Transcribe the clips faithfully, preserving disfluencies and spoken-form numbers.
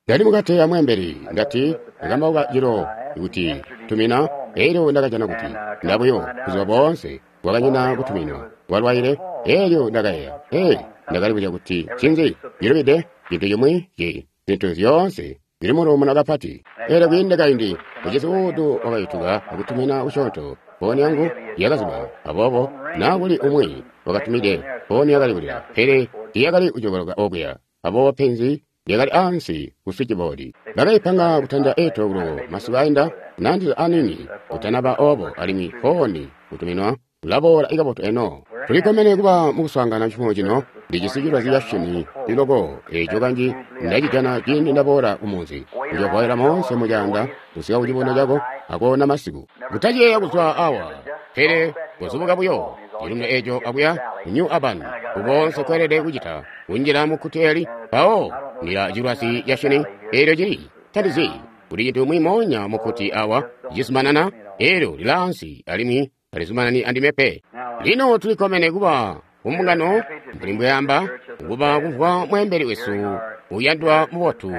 Ndali mukati ya mweembeli, ndati ndakambauka jilo kuti tumina, elyo ndakajana kuti ndabuyo buzuba boonse bwakanyina kutuminwa walwaile. Elyo ndakayeeya, hey, ndakali kuzya kuti ncinzi cilubide, cintu cimwi ci zintu zyoonse zili muluumuno kapati. Elyo kwiinde kaindi mucizi uudu wakayutuka akutumina kusyoonto, fooni yangu yakazima. Aboobo naa kuli umwi wakatumide, fooni yakali kulila, pele tiiyakali kucokoloka okuya. Aboobo penzi lyakali ansi ku switchboard. Bakaipanga kutanda eto kulo masiku ainda nandiza anini kutanaba obo, alimwi fooni kutuminwa ulaboola ikabotu eno. Tulikkomene kuba mukuswaangana cifumo cino. Ndijisi cilwazi ca shini loko eco kanji ndacijana ciindi ndaboola kumunzi. Njovoela moonse mucaanda kusika kucibuno cako akoona masiku. Kutaciyeeya kuzwa awa, pele kuzubuka buyo cilundu eco akuya New Albany. Kukoonse kweelede kucita kunjila mu kkuti eli, mpawo ndila cilwazi ca shini eelyo cili tandizi kuli cintu umwi moonya mu kkuti awa cizumanana, eelyo lilaansi alimwi talizumanani andime pe. Lino tulikkomene kuba kumbungano mbuli mbweamba, kuba kumvwa mweembeli wesu uyandwa mubotu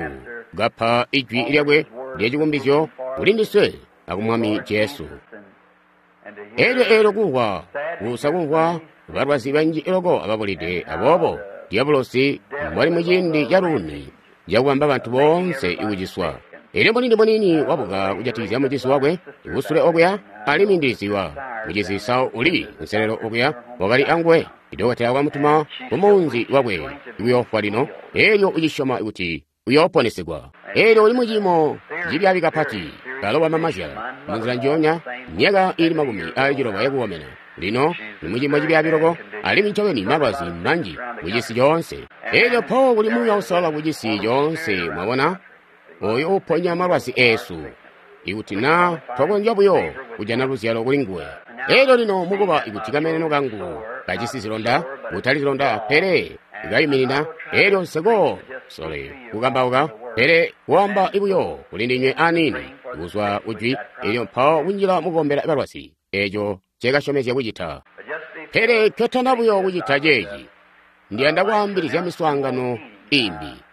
kapa ijwi lyakwe lyacikumbizyo kuli ndiswe aku Mwami Jesu. Elyo elyo kumvwa kuusa kumvwa balwazi banji loko ababulide, aboobo dyabulosi mbwali muciindi caluuni cakubamba bantu boonse ikuciswa. Elyo mulindi muniini wabuka kujatikizya mucizi wakwe kusule okuya, alimwi ndiliziwa mucizi Saul uli nselelo okuya wakali anguwe. Idokotela wakamutuma kumunzi wakwe kuyoofwa lino, elyo ucisyoma kuti uyooponesegwa. Elyo uli muciimo cibyaabi kapati, kalowa mamazyala munzila njionya, myaka ili makumi aali ciloba yakukomena. Lino ni muciimo cibyaabi loko, alimwi ncobeni malwazi manji kucisi coonse. Elyo mpawo kuli Muuya Uusalala kucisi coonse, mwabona, oyo uuponya malwazi eesu, ikuti na twakonzya buyo kujana luzyalo kuli nguwe. Elyo lino mukuba kuti kameneno kangu kajisi zilonda, kutali zilonda, pele kayuminina, elyo nseko sole kukambauka, pele kuamba buyo kuli ndinywe aniini kuzwa kujwi, elyo mpawo kunjila mukukombela balwazi, eco ncekasyomezya kucita. Pele nketana buyo kucita ceeci, ndiyanda kwaambilizya miswaangano imbi.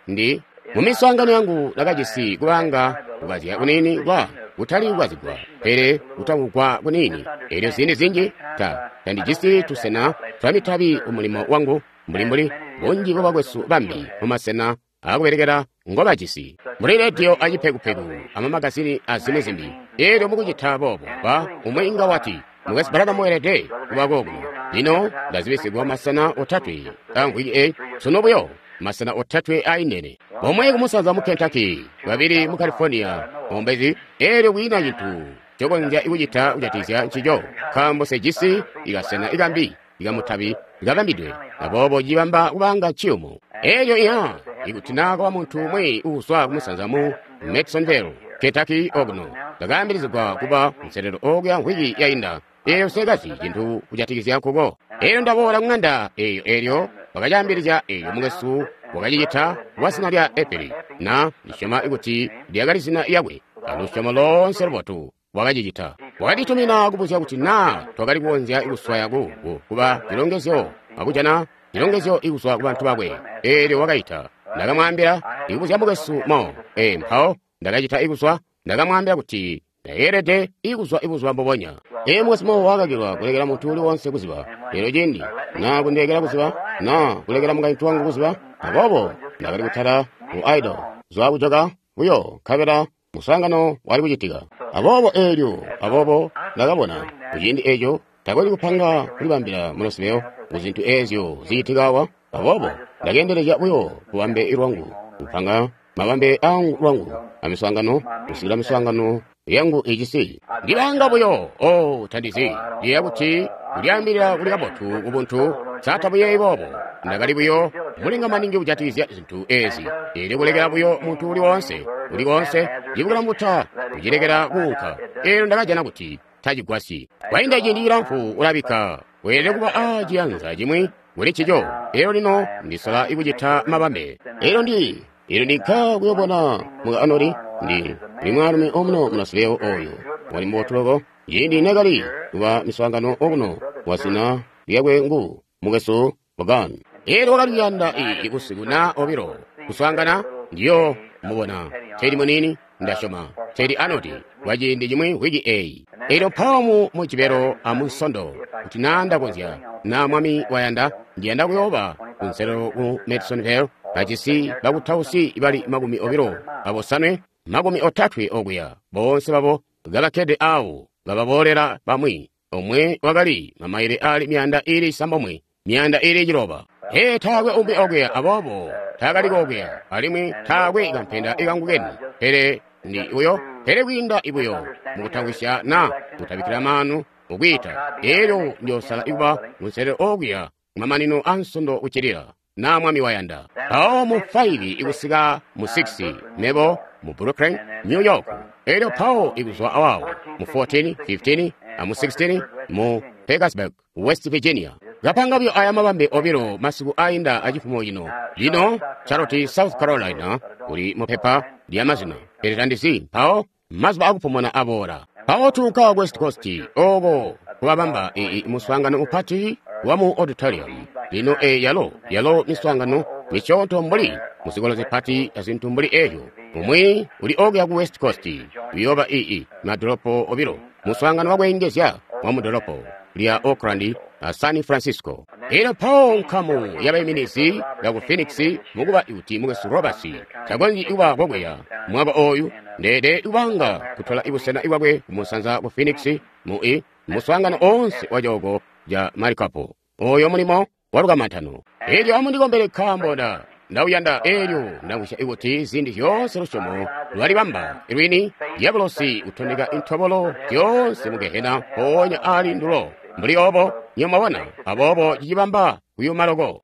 Ndi mu miswaangano yangu ndakajisi kubanga kukazya kuniini kwa kutali kukazigwa, pele kutamvwugwa kuniini. Elyo ziindi zinji ta tandijisi tusena twa mitabi kumulimo wangu, mbuli mbuli bunji bwa bakwesu bambi mumasena akubelekela ngobajisi, mbuli rediyo acipekupeku amamagazini azimwi zimbi. Elyo mukucita boobo, ba umwi inga wati, Mukwesu Branham weelede kuba kokuno. Lino ndazibisigwa masena otatwe amvwiki eyi, sunu buyo masena otatwe aindene, bomwe kumusanza mu Kentucky, babili mu California, ombezi. Elyo kwiina cintu ncokonzya kucita kujatikizya ncico, nkaambo sejisi ikasena ikambi ikamutabi kabambidwe, aboobo cibamba kubanga ciyumu. Elyo iya, ikuti na kwaba muntu umwi uuzwa kumusanza mu Madisonville, Kentucky okuno, ndakaambilizigwa kuba nselelo okuya mvwiki yainda, eyo sekazi cintu kujatikizya nkuko. Elyo ndaboola kung'anda eyo, elyo bakacaambilizya eyo mukwesu wakacicita wa zina lya Epeli, na ndisyoma kuti lyakali zina lyakwe, alusyomo loonse lubotu wakacicita. Wakatitumina kubuzya kuti naa twakali kukonzya kuswaya ku, ku kuba cilongezyo akujana cilongezyo kuzwa ku bantu bakwe. Elyo wakaita, ndakamwaambila ikubuzya mukwesu Mo, e mpawo ndakacita ikuzwa, ndakamwaambila kuti ndakeelede ikuzwa ibuzuba mbubonya. E mukwesu Mo wakakilwa kulekela muntu uli wonse kuziba. Elyo cindi na kundilekela kuziba, na kulekela mukaintu wangu kuziba, aboobo ndakali kutala ku Idaho, zwa kujoka buyo, nkabela muswaangano wali kucitika. Aboobo elyo, aboobo ndakabona kuciindi eco takweli kupanga kulibambila munosibeyo ku zintu ezyo zicitika awa. Aboobo ndakeendelezya buyo bubambe lwangu, kupanga mabambe angu lwangu amiswaangano kusikila miswaangano yangu ijisi. Ndilanga buyo, oh, tandizi, ndiyeeya kuti kulyaambilila kuli kabotu kubuntu, sa tabuyeeyi boobo? Ndakali buyo mulinga maningi kujatikizya zintu ezi. Elyo kulekela buyo muntu uli woonse, uli woonse, cibukila mbuta, kucilekela kuunka. Elyo ndakajana kuti tacigwasyi. Kwainda ciindi cilamfu ulabikka, weelede kuba a ciyanza cimwi kuli ncico. Elyo lino ndisola kucita mabambe. Elyo ndi, elyo ndinka kuyobona muka Anoli, ndi kuli mwaalumi omuno munasibeyo oyo wali mubotu loko. Ciindi nekali kuba miswaangano okuno, wa zina lyakwe ngu mukwesu Bogan. Elyo wakali kuyanda i busiku na obilo kuswaangana, Ndiyo mubona Teddy muniini, ndasyoma Teddy Arnold kwa ciindi cimwi wiki eyi. Elyo mpawo mu Mujibelo a Munsondo, kuti na ndakonzya, na Mwami wayanda, ndiyanda kuyooba kunselelo ku Madisonville, bajisi bakutausi bali makumi obilo abosanwe, makumi otatwe okuya, boonse babo kabakkede awo, kababoolela bamwi. Omwe wakali mamaile ali myaanda ili isambomwe, myaanda ili ciloba. Ee, taakwe umbi okuya, aboobo taakaliko okuya, alimwi taakwe kampenda ikangu keni. Pele ndi uyo, pele kwiinda ibuyo mukutamvwisya na kutabikkila maanu mukwiita, elyo njoosala ikuba kunselelo okuya kumamanino a nsondo kuccilila, na Mwami wayanda. Mpawo mu faivi ikusika mu sikisi, mebo mu Brooklyn, New York. Elyo mpawo ikuzwa awawo mu fourteen, fifteen, amu sixteen mu Petersburg, West Virginia. Kapanga buyo aya mabambe obilo masiku ainda acifumo cino. Lino, Charlotte, South Carolina, kuli mupepa lya mazina. Pele tandizi, mpawo mazuba akupumuna aboola. Mpawo tuunka West Coast, oko kubabamba ii muswaangano mupati wa mu auditorium. Lino e yalo, yalo miswaangano misyoonto mbuli muzikolo zipati azintu mbuli eyo. Umwi uli okuya ku West Coast, uyooba ii madolopo obilo, muswaangano wa kweengezya wa mudolopo lya Oakland a San Francisco. Elyo mpawo nkamu ya baiminizi baku Phoenix mukuba kuti Mukwesu Roberts takonzyi kuba kokuya mwaka oyu, ndeede kubanga kutola ibusena bwakwe kumusanza ku Phoenix mu i muswaangano oonse wa cooko ca Maricopa. Oyo mulimo wa lukamantano. Elyo amundikombele nkaambo nda ndauyanda. Elyo ndamvwisya kuti ziindi zyoonse lusyomo lwalibamba lwini, diabolosi utondeka intobolo zyoonse mu gehena mpoonya ali ndulo. Mbuli obo, nyo mwabona, aboobo cicibamba kuyuma loko.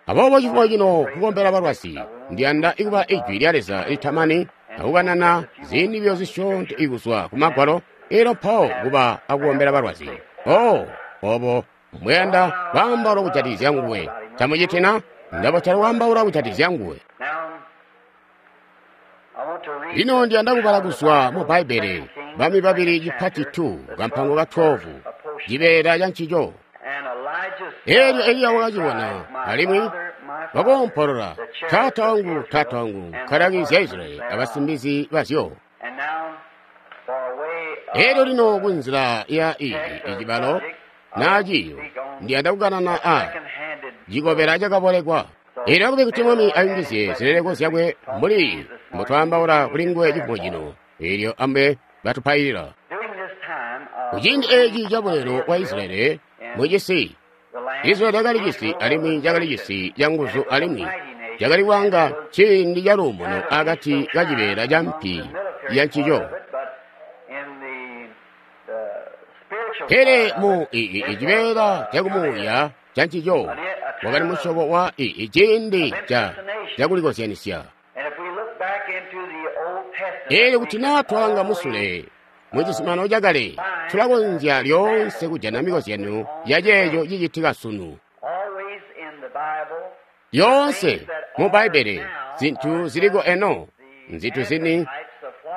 Aboobo cifumo cino kukombela balwazi, ndiyanda ikuba ijwi lya Leza litamani akukanana ziindi buyo zisyoonto ikuzwa ku Magwalo, elyo mpawo kuba akukombela balwazi. Oh, obo mbweyanda kwaambaula kujatikizya nguwe. Tamucitina? Ndabotela kwaambaula kujatikizya nguwe. Lino ndiyanda kubala kuzwa mu Bbaibbele, Bami babili cipati two, kampango ka twelve, cibeela ca ncico. Elyo Eliya wakacibona, alimwi wakoompolola, Taata wangu, taata wangu, nkalaki zya Israyeli abasimbizi bazyo. Elyo lino kunzila ya iyi icibalo na ciiyo, ndiyanda kukanana a cikobela cakabolekwa. Elyo akube kuti Mwami ayungizye zileleko zyakwe mbuli mbutwaambaula kuli nguwe cifumo cino. Elyo ambe batupailila. Kuciindi eci cabulelo bwa Israyeli mucisi, Israyeli yakali cisi alimwi cakali cisi canguzu alimwi cakali kwanga ciindi caluumuno akati kacibeela ca mpi ya ncico. Pele mu icibeela cakumuuya ca ncico wakali musyobo wa ciindi ca cakulikozyanisya. Elyo kuti naa twalanga musule mu cizuminano cakale, tulakonzya lyoonse kujana mikozyanyo ya ceeco cicitika sunu. Lyoonse mu Bbaibbele zintu ziliko eno nzintu zini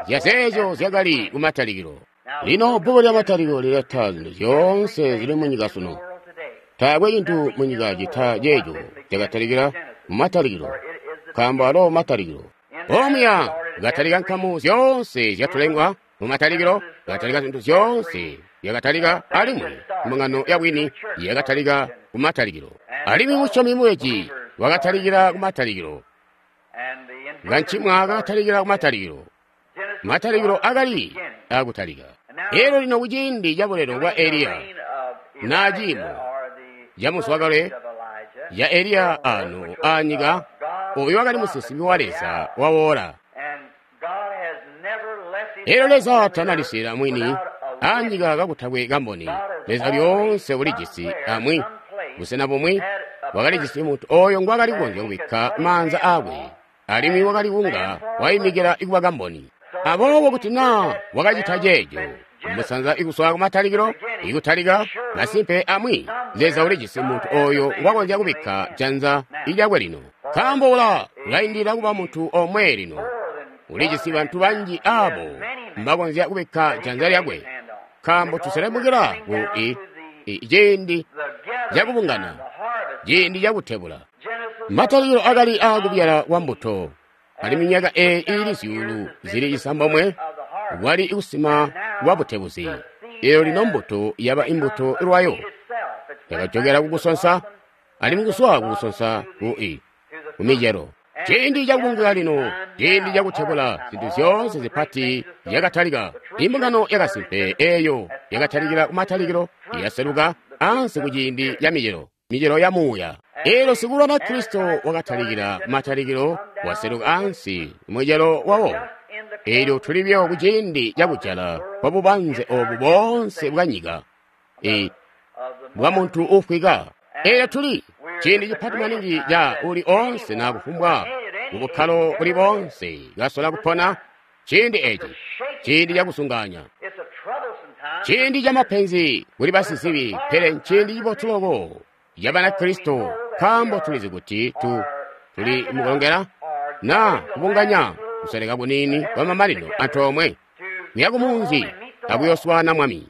zya zeeco zyakali kumatalikilo. Lino bbuku lya Matalikilo lileta zintu zyoonse zili munyika sunu. Taakwe cintu munyika cita ceeco cakatalikila mu matalikilo, nkaambo alo matalikilo. Omuya katalika nkamu zyoonse zyatulengwa mu matalikilo, katalika zintu zyoonse yakatalika, alimwi mbungano ya bwini yakatalika ku matalikilo. Alimwi musyomi mubeji wakatalikila ku matalikilo. Kancimwa kakatalikila ku matalikilo. Matalikilo akali akutalika. Elyo lino kuciindi cabulelo bwa Eliya, na ciimo ca muzwakale ya Eliya ano anyika, oyo wakali musinsimi wa Leza wawoola. Elyo Leza tanalisila mwini anyika kakutakwe kamboni. Leza lyoonse ulijisi amwi busena bumwi wakalijisi muntu oyo ngwakali kukonzya kubikka maanza aakwe, alimwi wakali kunga waimikila ikuba kamboni. Aboobo kuti naa wakacita ceeco musanza ikuswa kumatalikilo ikutalika masimpe amwi, Leza ulijisi muntu oyo ngwakonzya kubikka janza ilyakwe lino, nkaambo ula ulaindilila kuba muntu omwe lino. Ulijisi bantu banji abo mbakonzya kubikka janza lyakwe, nkaambo tuselemukila ku i, i ciindi cakubungana, ciindi cakutebula. Matalikilo akali aakubyala kwa mbuto. Alimwi myaka eyi iili zyuulu zili cisambomwe bwali kusima kwa butebuzi. Eyo lino mbuto yaba imbuto lwayo. Yakajokela kukusonsa, alimwi kuzwa kukusonsa ku i kumicelo. Ciindi cakubungika lino, ciindi cakutebula zintu zyoonse zipati yakatalika. Imbungano yakasimpe eyo yakatalikila kumatalikilo yaseluka ansi kuciindi ca micelo, micelo ya muuya. Eelyo sikulwana Kristo wakatalikila kumatalikilo waseluka ansi mucelo wawo. Eelyo tuli buyo kuciindi cakujala kwa bubanze obu boonse bwa nyika, e bwa muntu uufwika. Eelyo tuli ciindi cipati maningi ca uli oonse na kufumbwa mubukkalo buli boonse kasola kupona. Ciindi eci, ciindi cakusunganya, ciindi ca mapenzi kuli basizibi, pele nciindi cibotu loko ca Banakristo, nkaambo tulizi kuti tu tuli mukulongela na kubunganya kusoleka kuniini kwa mamanino antoomwe kuya kumunzi akuyoswaana Mwami.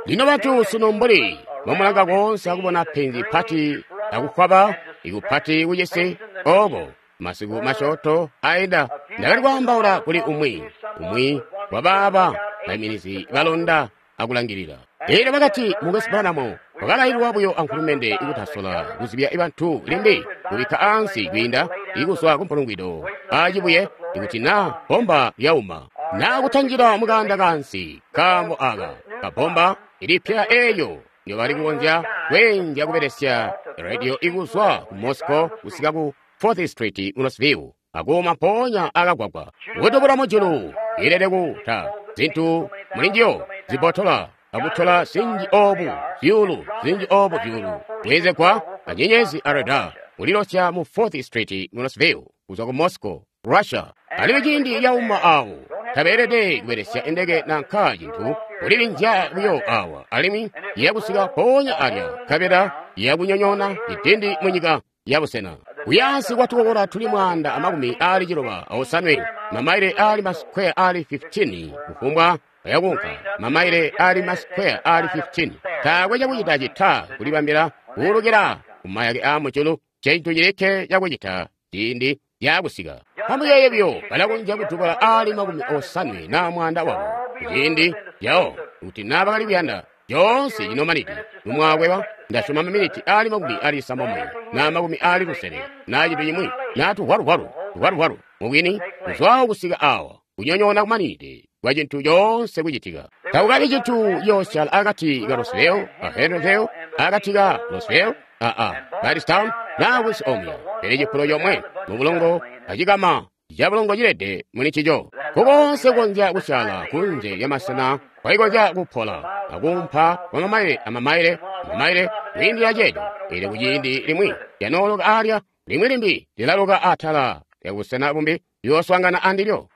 Lino bantu sunu mbuli bamulanga koonse akubona penzi pati akukwaba ikupati kucisi oko masiku masyoonto aida. Ndakali kwaambaula kuli umwi umwi wabaaba baiminizi balonda akulangilila. Eelyo bakati, Mukwesu Branham wakalaililwa buyo ankulumende ikutasola kuzibya bantu limbi kubikka ansi kwiinda ikuzwa kumpulungwido acibuye ikuti naa bomba lyauma naa kutanjila mukaanda kansi, nkaambo aka kabomba ilipya eyo ndiyobali kukonzya kweenzya kubelesya radio ikuzwa ku Moscow kusika ku fourth Street mu Louisville akuuma mpoonya akagwagwa kutubula mujulu ilele kuta zintu mulinjiyo zibotola akutola zinji obu zyuulu zinji obu zyuulu bwezegwa anyenyezi a radar kulilosya mu fourth Street mu Louisville kuzwa ku Moscow, Russia. Alimwi ciindi lyauma awo tabeelede kubelesya indeke nanka cintu kulilinzya buyo awa, alimwi yakusika mpoonya alya nkabela yakunyonyoona idindi munyika yabusena. Kuyaansi kwatukokola tuli mwaanda amakumi aali ciloba aosanwe, mamaile aali masikweya aali fifteen kufumbwa ayakunka, mamaile aali masikweya aali fifteen. Taakwe cakucita cita kulibambila kuulukila kumayake aamujulu, cintu cilikke cakucita ciindi yakusika. Amuyeeye buyo, balakonzya kutubula aali makumi osanwe na mwaanda wabo kuciindi yawo kuti naa bakali kuyanda coonse cinomanide mumwaakwewa. Ndasyoma maminiti aali makumi aali cisambomwe na makumi aali lusele na cintu cimwi na tuvwaluvwalu tuvwaluvwalu mubwini kuzwawo kusika awa kunyonyoona kumanide kwa cintu coonse kucitika. Takukabi cintu ciyoosyaala akati ka Louisville a Henryville, akati ka Louisville aa Bardstown na wisi omwe, pele cipulo comwe mubulongo acikama cabulongo cilede muli ncico. Kukoonse kukonzya kusyaala kunze lya masena kwaikonzya kupola akumpa kwa mamaile amamaile amamaile kwiindila ceeco. Eelyo kuciindi limwi lyanooloka alya, limwi limbi lilaloka atala lya busena bumbi liyooswaangana andilyo.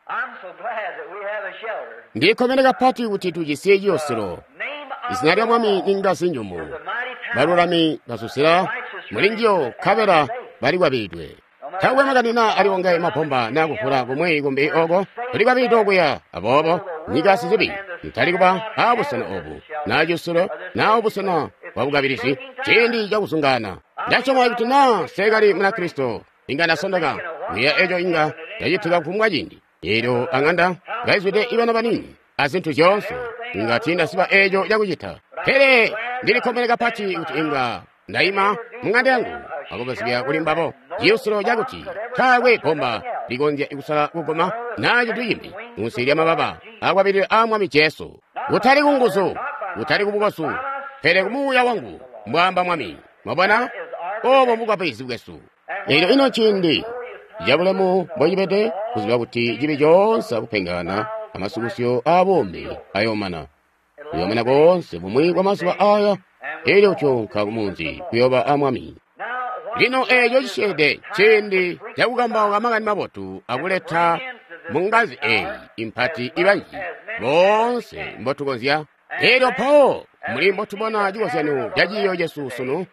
Ndikkomene kapati kuti tujisi ciyoselo. Izina lya Mwami ningazi njumu, balulami basusila mulinjiyo nkabela balikwabilidwe. Taakwe makani naa aliwongaye mabomba naa kuvula kumwi kumbi oko tulikwabilidwe okuya. Aboobo nyika sizibi ntali kuba aabusena obu naa ciyoselo naa ubusena bwa bukabilizi ciindi cakuzungaana. Ndasyoma kuti naa nseekali Munakristo inga ndasondoka kuya eco inga cacitika kufumbwa ciindi. Eelyo aŋanda kaizwide ibana baniini azintu zyoonse inga tiindasiba eco cakucita. Pele ndilikkomene kapati kuti inga ndaima muŋanda yangu akubazibya kuli mbabo ciyusilo cakuti taakwe bomba likonzya kusala kugoma naa cintu cimbi munsi lya mababa akwabilila aa Mwami Jesu. Kutali kunguzu, kutali kubukosu, pele kumuuya wangu, mbwaamba Mwami. Mwabona obo mbukwabilizi bwesu. Eelyo ino ciindi cabulemu mbocibede kuziba kuti cibi coonse akupengana amasukusyo aabuumi ayoomana. Kuyoomana koonse bumwi bwa mazuba aya, eelyo kutyonka kumunzi kuyooba a Mwami. Lino eeco cisyeede ciindi cakukambauka makani mabotu akuleta mungazi eeyi impati ibanji boonse mbotukonzya. Eelyo mpawo muli mbotubona cikozyanyo ca ciiyo cesu sunu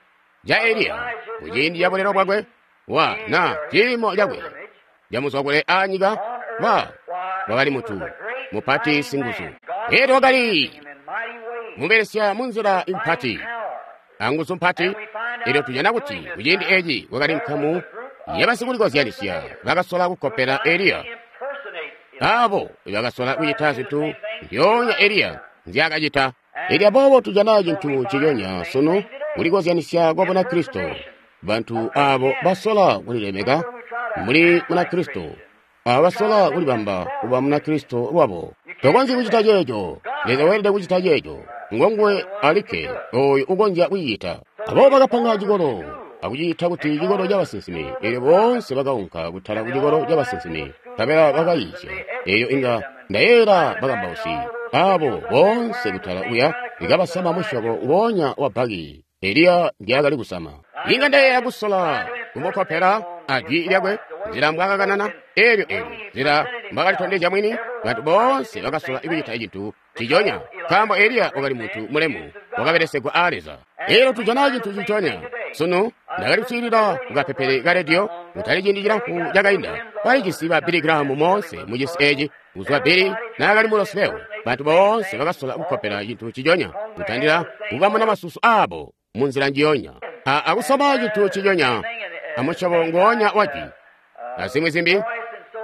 ca Eliya kuciindi ca bulelo bwakwe wa na ciimo cakwe camuzwakule aanyika wa wakali mutu mupati singuzu. Eelyo wakali mubelesya munzila impati anguzu mpati. Eelyo tujana kuti kuciindi eci kwakali nkamu ya basikulikozyanisya bakasola kukkopela Eliya, abo bakasola kucita zintu nzyoonya Eliya nzyaakacita. Elyo aboobo tujana cintu nciconya sunu, kulikozyanisya kwa Bunakristo, bantu abo basola kulilemeka mbuli Munakristo, abo basola kulibamba kuba Munakristo lwabo. Tokonzyi kucita ceeco. Leza weelede kucita ceeco. Ngonguwe alikke oyo ukonzya kucicita. Aboobo bakapanga cikolo akuciita kuti cikolo ca basinsimi. Elyo boonse bakaunka kutala ku cikolo ca basinsimi, nkabela bakayiisya. Elyo inga ndayeeyela bakambausi abo boonse kutala kuya ikabasama musyobo ngoonya wa bbaki Eliya ndyakali kusama. Inga ndayeeya kusola kumukkopela ajwi lyakwe, nzila mbwakakanana, elyo elyo nzila mbwakalitondezya mwini. Bantu boonse bakasola kucita cintu nciconya, nkaambo Eliya wakali muntu mulemu wakabelesegwa aa Leza. Elyo tujana cintu nciconya sunu. Ndakali kuswiilila kukapepele ka rediyo kutali ciindi cilamfu cakainda. Balijisi ba Billy Graham moonse mucisi eci, kuzwa Billy naakali mu Roseville. Bantu boonse bakasola kukkopela cintu nciconya, kutandila kukamuna masusu aabo munzila njiyonya, a akusama cintu nciconya, amusyobo ngoonya wa jwi, azimwi zimbi.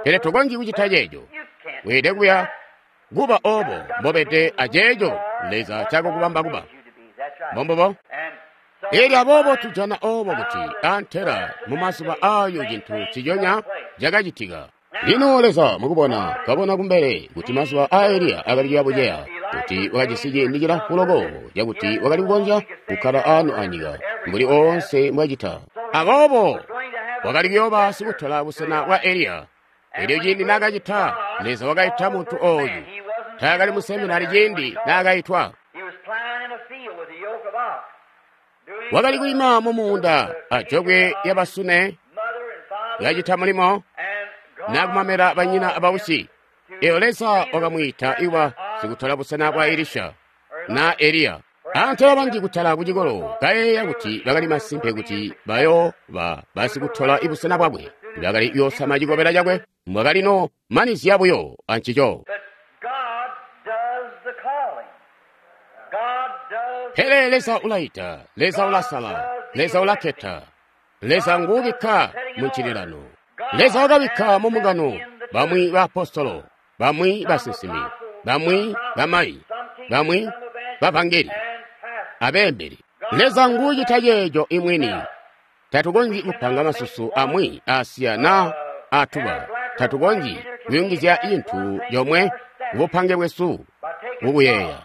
Pele tokonzyi kucita ceeco. Weelede kuya kuba obo mbobede aceeco Leza cakukubamba kuba. Mbombubo. Elyo aboobo tujana obo kuti antela mu mazuba ayo cintu nciconya cakacitika. Lino Leza mukubona, kabona kumbele kuti mazuba a Eliya akali kuyabuceya, kuti wakajisi ciindi cilamfu loko cakuti wakali kukonzya kukkala ano anyika mbuli oonse mbwacita. Aboobo wakali kuyooba sikutola busena bwa Eliya. Elyo ciindi naakacita, Leza wakaita muntu oyu. Taakali mu seminari ciindi naakaitwa. Wakali kulima mu muunda ajokwe lyabasune, kacita mulimo, nakumamela banyina abawisi. Elyo Leza wakamwiita iwa sikutola busena bwa Elisha na Eliya. Antela banji kutala kucikolo kayeeya kuti bakali masimpe kuti bayooba basikutola ibusena bwakwe. Bakali kuyoosama cikobela cakwe, mwakalino manizya buyo ancico. Pele Leza ulaita, Leza ulasala, Leza ulaketa, Leza nguubikka mu ncililano. Leza wakabikka mu mbungano bamwi baapostolo, bamwi basinsimi, bamwi bamayi, bamwi bavangeli, abeembeli. Leza nguucita ceeco imwini. Tatukonzyi kupanga masusu amwi aasiya na atuba. Tatukonzyi kuyungizya cintu comwe kubupange bwesu kukuyeeya.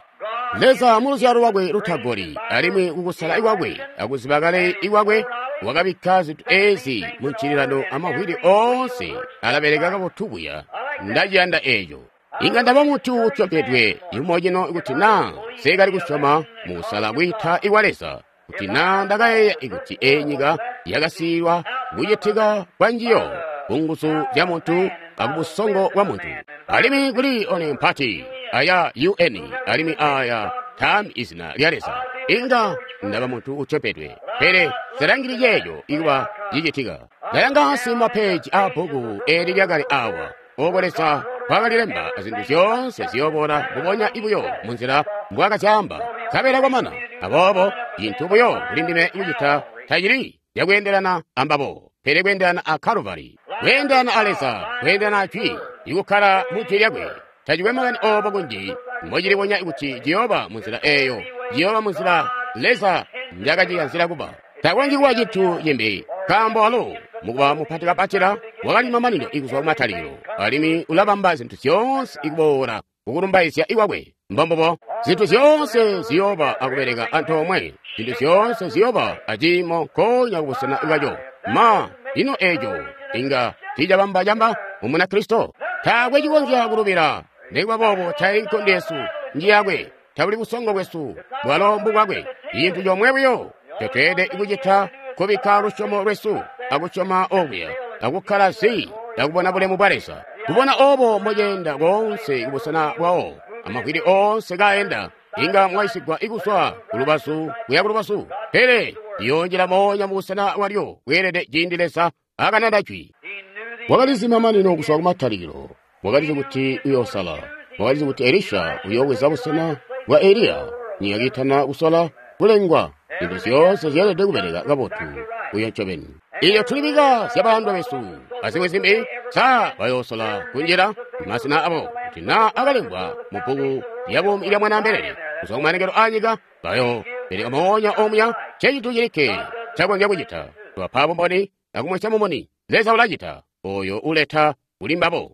Leza mu luzyalo lwakwe lutagoli, alimwi kukusala kwakwe akuziba kale ikwakwe, wakabikka zintu ezi mu ncililano amavwili oonse alabeleka kabotu buya. Ndaciyanda eeco. Inga ndaba muntu utyopedwe cifumo cino kuti naa nseekali kusyoma mukusala kwiita ikwa Leza, kuti naa ndakayeeya kuti eyi nyika yakasiilwa kucitika kwanjiyo kunguzu zya muntu akubusongo bwa muntu. Alimwi kuli one mpati aya U N, alimwi aya taambi izina lya Leza. Inga ndaba muntu utyopedwe, pele nselangili ceeco ikuba cicitika. Ndalanga ansi mu mapeji aa bbuku eli lyakale awa, oko Leza mbwaakalilemba azintu zyoonse ziyooboola mbubonya buyo munzila mbwaakazyaamba, nkabela kwamana. Aboobo cintu buyo kuli ndime kucita tacili cakweendelana ambabo, pele kweendelana a Kalvari, kweendelana a Leza, kweendelana a Jwi, ikukkala mu Jwi lyakwe. Tacikwe makani oobo kunji mbocilibonya kuti ciyooba munzila eeyo, ciyooba munzila Leza njaakacikanzila kuba. Takonzyi kuba cintu cimbi, nkaambo walo mukuba mupati kapatila wakali mamanino ikuzwa kumatalikilo, alimwi ulabamba zintu zyoonse ikuboola kukulumbaizya ikwakwe. Mbombubo, zintu zyoonse ziyooba akubeleka antoomwe, zintu zyoonse ziyooba aciimo nkoonya kubusena bwaco. Ma, ino eeco inga tiicabamba camba mu Munakristo? Taakwe cikonzya kulubila. Nikuba boobo taili nkondo yesu, njiyakwe. Tabuli busongo bwesu, bwalo mbubwakwe. Cintu comwe buyo ncotweelede kucita kubikka lusyomo lwesu akusyoma okuya, akukkala zi akubona bulemu bwa Leza. Kubona obo mboceenda koonse kubusena bwawo, amavwili oonse kaenda, inga mwaisigwa ikuzwa kulubazu kuya kulubazu, pele liyoonjila moonya mubusena bwalyo bweelede ciindi Leza akanana jwi. Wakalizi mamanino kuzwa kumatalikilo. Wakalizi kuti uyoosala. Wakalizi kuti Elisha uyoobweza busena bwa Eliya nyika kiitana kusola kulengwa. Zintu zyoonse zyeelede kubeleka kabotu kuyo ncobeni. Iyo tulibika zyabayandwa besu azimwi zimbi, sa bayoosola kunjila masina abo kuti naa akalembwa mu bbuku lyabuumi ilya Mwanaambelele kuzwa kumalengelo aanyika, bayo beleka moonya omuya. Ncecintu cilikke ncakonzya kucita. Twapa bumboni akumwesya mumuni. Leza ulacita oyo uleta kuli mbabo.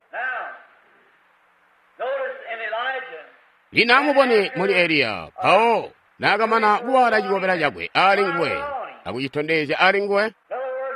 Lino amubone muli Eliya, mpawo naakamana kuwaala cikobela cakwe ali nguwe akucitondezya ali nguwe.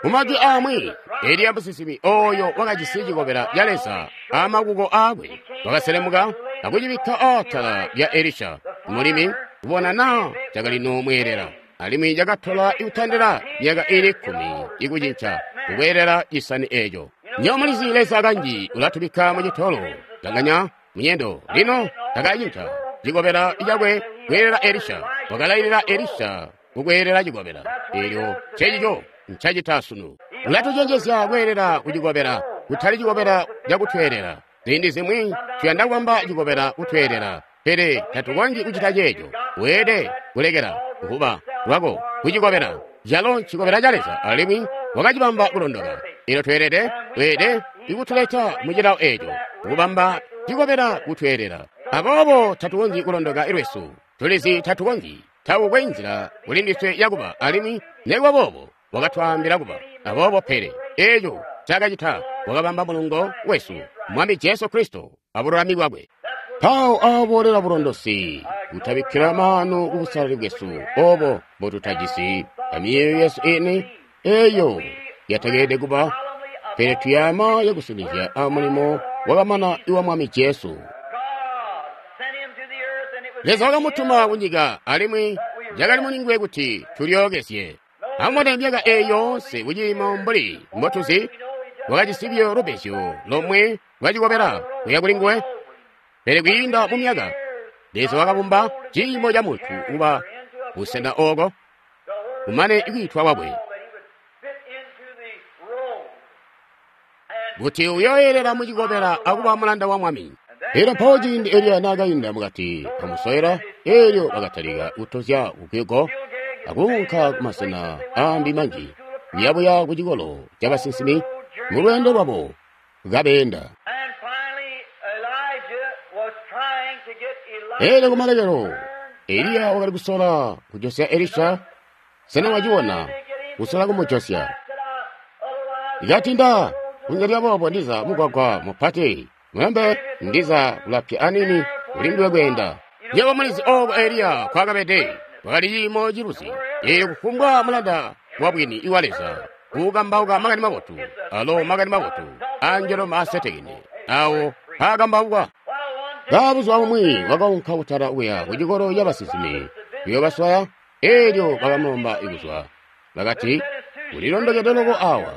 Mumajwi amwi, Eliya musinsimi oyo wakajisi cikobela ca Leza amakuko aakwe wakaselemuka akucibikka atala lya Elisha mulimi kubona naa cakali noomweelela, alimwi cakatola ikutandila myaka iili kkumi ikucinca kukweelela cisani eeco. Nywebo mulizi Leza kanji ulatubikka mucitolo langanya munyendo. Lino takacinca cikobela cakwe kweelela Elisha, wakalailila Elisha kukweelela cikobela. Eelyo ncecico ncacita sunu. Ulatucenjezya kweelela kucikobela, kutali cikobela cakutweelela. Ziindi zimwi tuyanda kubamba cikobela kutweelela, pele tatukonzyi kucita ceeco. Weelede kulekela kuba lwako kucikobela. Calo ncikobela ca Leza, alimwi wakacibamba kulondoka. Elyo tweelede, weelede ikutuleta mucilawo eeco, kubamba cikobela kutweelela. Aboobo tatukonzyi kulondoka lwesu. Tulizi tatukonzyi. Taukwe nzila kuli ndiswe yakuba, alimwi nekuba boobo wakatwaambila kuba. Aboobo pele eeco ncaakacita, wakabamba mulungo wesu, Mwami Jesu Kristo, abululami bwakwe. Mpawo aboolela bulondosi, kutabikkila maanu kubusalali bwesu obo mbotutajisi amiyeeyo yesu eni eeyo yatakeelede kuba, pele tuyaama yakusinizya amulimo wakamana iwa Mwami Jesu. Leza wakamutuma kunyika, alimwi cakali mulinguwe kuti tulyookezye. Amubone myaka eeyi yoonse kuciimo mbuli mbotuzi, wakajisi buyo lubizyo lomwe lwacikobela kuya kuli nguwe. Pele kwiinda mu myaka, Leza wakabumba ciimo ca muntu kuba busena ooko, kumane kwiitwa kwakwe, kuti uyooyelela mucikobela akuba mulanda wa Mwami. Elyo mpawo ciindi Eliya naakainda mukati kamusoyela, eelyo bakatalika kutozya kugego akuunka kumasena aambi manji, kuyabuya kucikolo cabasinsimi mulweendo lwabo kabeenda. Eelyo kumalekelo, Eliya wakali kusola kujosya Elisha. Sena wacibona? Kusola kumujosya. Ikati nda kunze lya boobo ndiza mugwagwa mupati mulambe, ndiza kulapya anini kulindiwe kweenda. Nywebo mulizi ooko Eliya kwakabede, kwakali ciimo ciluzi. Eelyo kufumbwa mulanda wabwini iwa Leza kukambauka makani mabotu, alo makani mabotu anjelo maasetekene awo aakambaukwa. Kabuzuba bumwi wakaunka kutala kuya kucikolo cabasinsimi kuyoobaswaya. Eelyo bakamulomba kuzwa, bakati, "Ulilondokede loko awa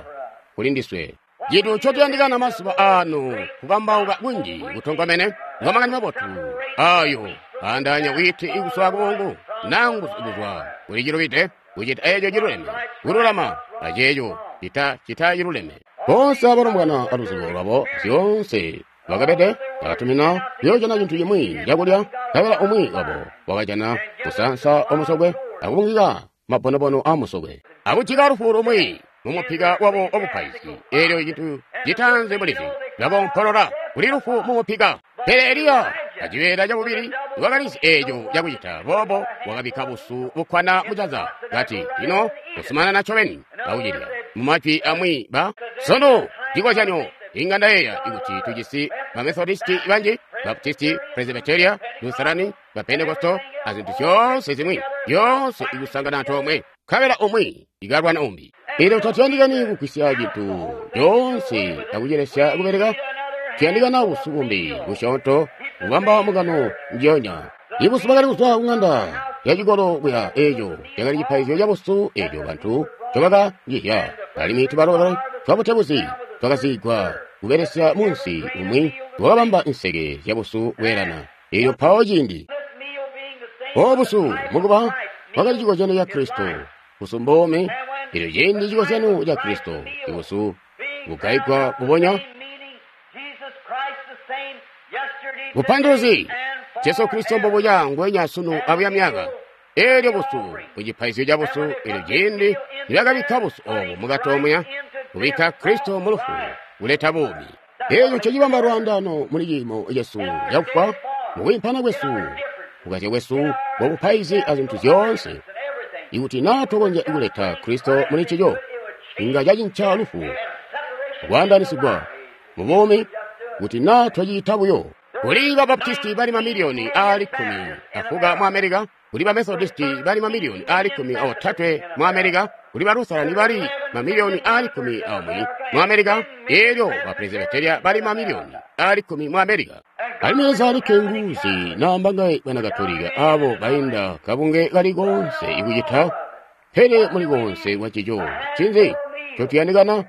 kuli ndiswe. Cintu ncotuyandikana mazuba aano kukambauka kunji kutonkomene kwa makani mabotu ayo aandaanya wiiti kuzwa kubungu naa nguzu kuzwa kuli cilubide, kucita eeco ciluleme, kululama aceeco cita cita ciluleme." Boonse abalombwana aluzibo lwabo zyoonse bakabede bakatumina kuyoojana cintu cimwi cakulya. Nkabela umwi wabo wakajana musaansa wamusokwe akubungika mabonobono aamusokwe akujika lufu lumwi mumupika wabo wabupaizi. Eelyo cintu citaanzi mulizi, bakompolola kuli lufu mumupika. Pele Eliya acibeela cabubili wakalizi eeco cakucita, boobo wakabikka busu bukkwana mujanza, kati, "Lino kusumanana ncobeni akucilya." Mumajwi amwi ba sono cikozyanyo inga ndayeeya kuti tujisi ba Methodisti banji, Baptisti, Presbyteria, Lutherani, ba Pentekosto, azintu zyoonse zimwi, zyoonse ikusangana antoomwe, nkabela umwi ikalwana umbi. Elyo tatuyandikani kugwisya cintu coonse akucilesya kubeleka. Tuyandikana busu bumbi busyoonto kubamba mukano njionya. Ibusu bakali kuzwa kuŋanda yacikolo kuya, eeco cakali cipaizyo cabusu eeco bantu ncobakacilya, alimwi tubalole twabutebuzi twakazigwa kubelesya munsi umwi wakabamba inseke zyabusu kweelana. Eelyo mpawo ciindi obusu mukuba bwakali cikozyano ca Kristo, busu mbuumi. Eelyo ciindi cikozyano ca Kristo, ibusu bugaigwa bubonya. Bupanduluzi, Jesu Kristo mbubuca nguwenya sunu abuya myaka. Elyo busu ku cipaizyo ca busu, elyo ciindi nibakabikka busu obo mukati omuya, kubikka Kristo mu lufu, kuleta buumi. Eco ncecibamba lwaandaano muli ciimo cesu cakufwa, mukwiimpana kwesu, kukazya kwesu kwa bupaizi a zintu zyoonse. Ikuti na tokonzya kuleta Kristo muli ncico, inga cacinca lufu, kwaandanisigwa mu buumi, kuti na twacita buyo. Kuli ba Baptisti bali mamiliyoni aali kkumi afuka mu America, kuli ba Methodisti bali mamiliyoni aali kkumi aotatwe mu America, kuli ba Lutherani bali mamiliyoni aali kkumi aumwi mu America, elyo ba Presbyteria bali mamiliyoni aali kkumi mu America. Alimwi Leza alikke nguzi naamba ngai bana Katolika abo bainda kabunge kali konse ikucita, pele muli konse kwa cico. Ncinzi ncotuyandikana?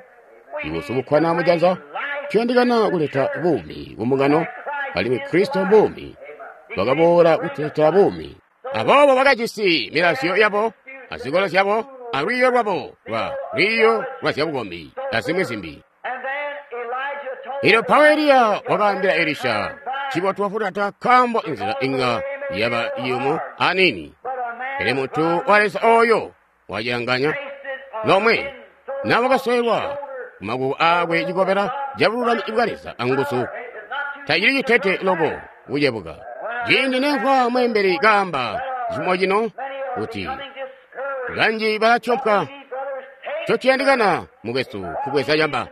Ikusubukwana mujanza. Tuyandikana kuleta buumi ku mbungano, alimwi Kristo mbuumi. Bakaboola kutuleta buumi. Aboobo bakajisi milazyo yabo, azikolo zyabo, alwiiyo lwabo lwa lwiiyo lwa zyabukombi, azimwi zimbi. Elyo mpawo Eliya wakaambila Elisha, cibotu wafutata nkaambo inzila inga yaba iyumu aniini. Pele muntu wa Leza oyo wacilanganya lomwe, na wakasoelwa kumakuko aakwe cikobela cabululami bwa Leza anguzu. Tacili citete loko kucebuka. Ciindi nemvwa mweembeli kaamba cimo cino kuti banji balatyompwa, ncotuyandikana mukwesu kubweza camba,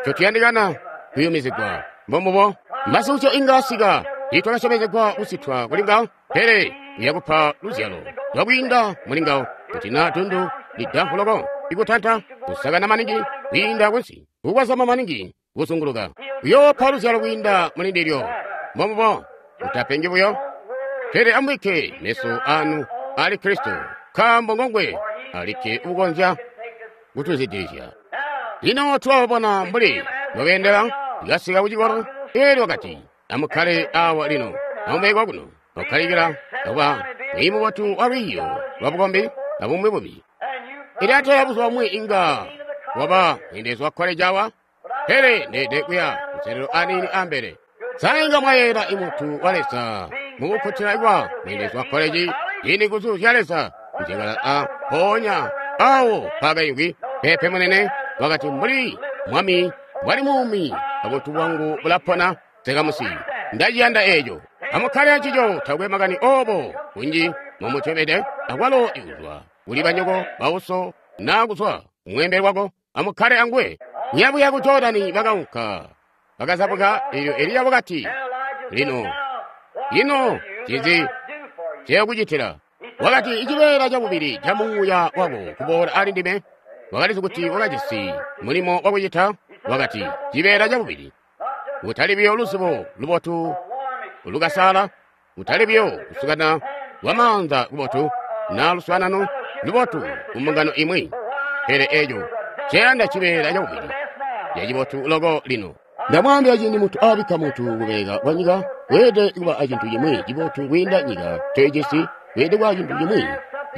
ncotuyandikana kuyumizigwa. Mbombubo masukusyo inga asika, itwakasyomezegwa kusitwa kuli ngawo, pele uyakupa luzyalo lwakwiinda muli ngawo, kuti na dundu lidamfu loko ikutanta kusakana maningi kwiinda kunsi, kukwazama maningi kuzunguluka, uyoopa luzyalo kwiinda muli ndilyo. Mbombubo mutapengi buyo, pele amwikke meso anu ali Kristo, nkaambo ngongwe alikke ukonzya kutuzidilizya. Lino tulabona mbuli bwakeendela likasika kucikolo, elyo wakati, amukkale awa lino, amubekwa kuno, okkalikila akuba mwiiyi mubotu wa lwiiyo lwa bukombi abumwi bubi. Elyo atala buzuba bumwi inga waba mweendezi wa koleji awa, pele ndeede kuya kuselelo aniini ambele. Sa inga mwayeeyela imuntu wa Leza mukukkutila kwa mweendezi wa koleji ciindi nguzu zya Leza nzyakala a mpoonya awo mpaakaimvwi? Peepe munene, wakati, mbuli Mwami mbwali muumi, abuntu bwangu bulapona, nsekamusiyi. Ndaciyanda eco. Amukkale ancico, takwe makani obo kunji momutobede, akwalo ikuzwa kuli banyoko, bauso, naa kuzwa kumweembeli wako, amukkale anguwe. Kuyabuya ku Jordani bakaunka, bakazabuka. Elyo Eliya wakati, lino, ino ncinzi nceyokucitila? Wakati, icibeela cabubili ca muuya wako kuboola ali ndime. Wakalizi kuti wakajisi mulimo wakucita. Wakati, cibeela cabubili, kutali buyo luzibo lubotu lukasala, kutali buyo kusukana kwa maanza kubotu na luswaanano lubotu ku mbungano imwi, pele eco ceyanda cibeela cabubili cacibotu loko lino. Ndamwaambila, ciindi muntu abikka muntu kubeleka kwa nyika, weelede kuba acintu cimwi cibotu kwiinda nyika ncoijisi, weelede kuba acintu cimwi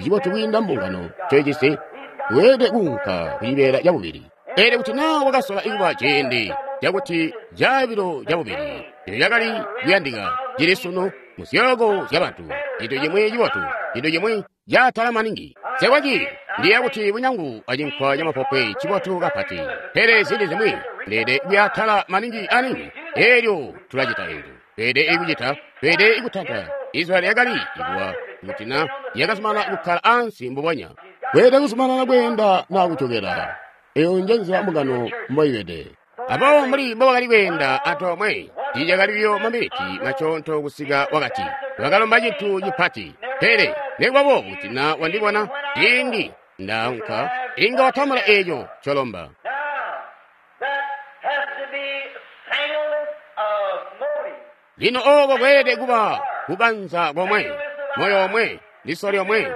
cibotu kwiinda mbungano ncoijisi, weelede kuunka kucibeela cabubili. Elyo kuti naa wakasola kuba ciindi cakuti caabilo cabubili eco cakali kuyandika cili sunu mu zyooko zyabantu, cintu cimwi cibotu, cintu cimwi caatala maningi. Sekwaci ndiyeeya kuti bunyangu acinkwa camapopwe cibotu kapati, pele ziindi zimwi ndeede kuyaatala maningi aniini. Elyo tulacita eco, tweede kucita, tweede kutanta. Israyeli yakali ikuwa kuti na yakazumanana kukkala ansi mbubonya. Weelede kuzumanana kweenda na kujokela. Eyo nje nzila mbungano mboibede. Aboobo mbuli mbobakali kweenda antoomwe, tiicakali buyo maminiti masyoonto kusika wakati, wakalomba cintu cipati. Pele nikuba boobo kuti na wandibona ciindi ndaunka, inga watambula eco ncolomba. Lino oko kweelede kuba kukanza komwe, moyo omwe, liso lyomwe,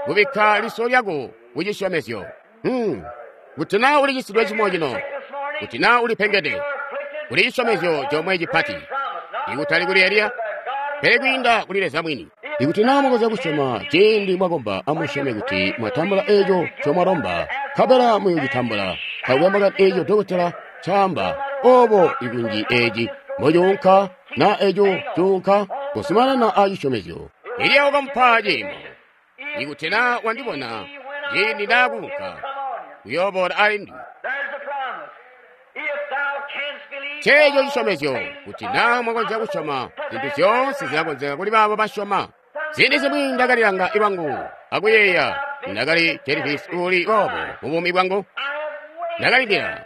kubikka liso lyako ku cisyomezyo. Hmm. Kuti naa ulicisidwe cimo cino, kuti naa ulipengede, kuli cisyomezyo comwe cipati, ikutali kuli Eliya, pele kwiinda kuli Leza mwini. Ikuti naa mukonzya kusyoma ciindi mwakomba, amusyome kuti mwatambula eco ncomwalomba, nkabela muyocitambula. Takwe makani eco dokotela ncaamba, obo ikunji eci mbocuunka na eco cuunka, kuzumanana a cisyomezyo. Eliya wakamupa ciimo. Ikuti na wandibona ciindi ndaakuunka, uyooboola ali ndiwe. Nceeco cisyomezyo, kuti naa mwakonzya kusyoma, zintu zyoonse zilakonzeka kuli baabo basyoma. Ziindi zimwi ndakalilanga lwangu akuyeeya, ndakali jellyfish uuli boobo mubuumi bwangu. Ndakalindila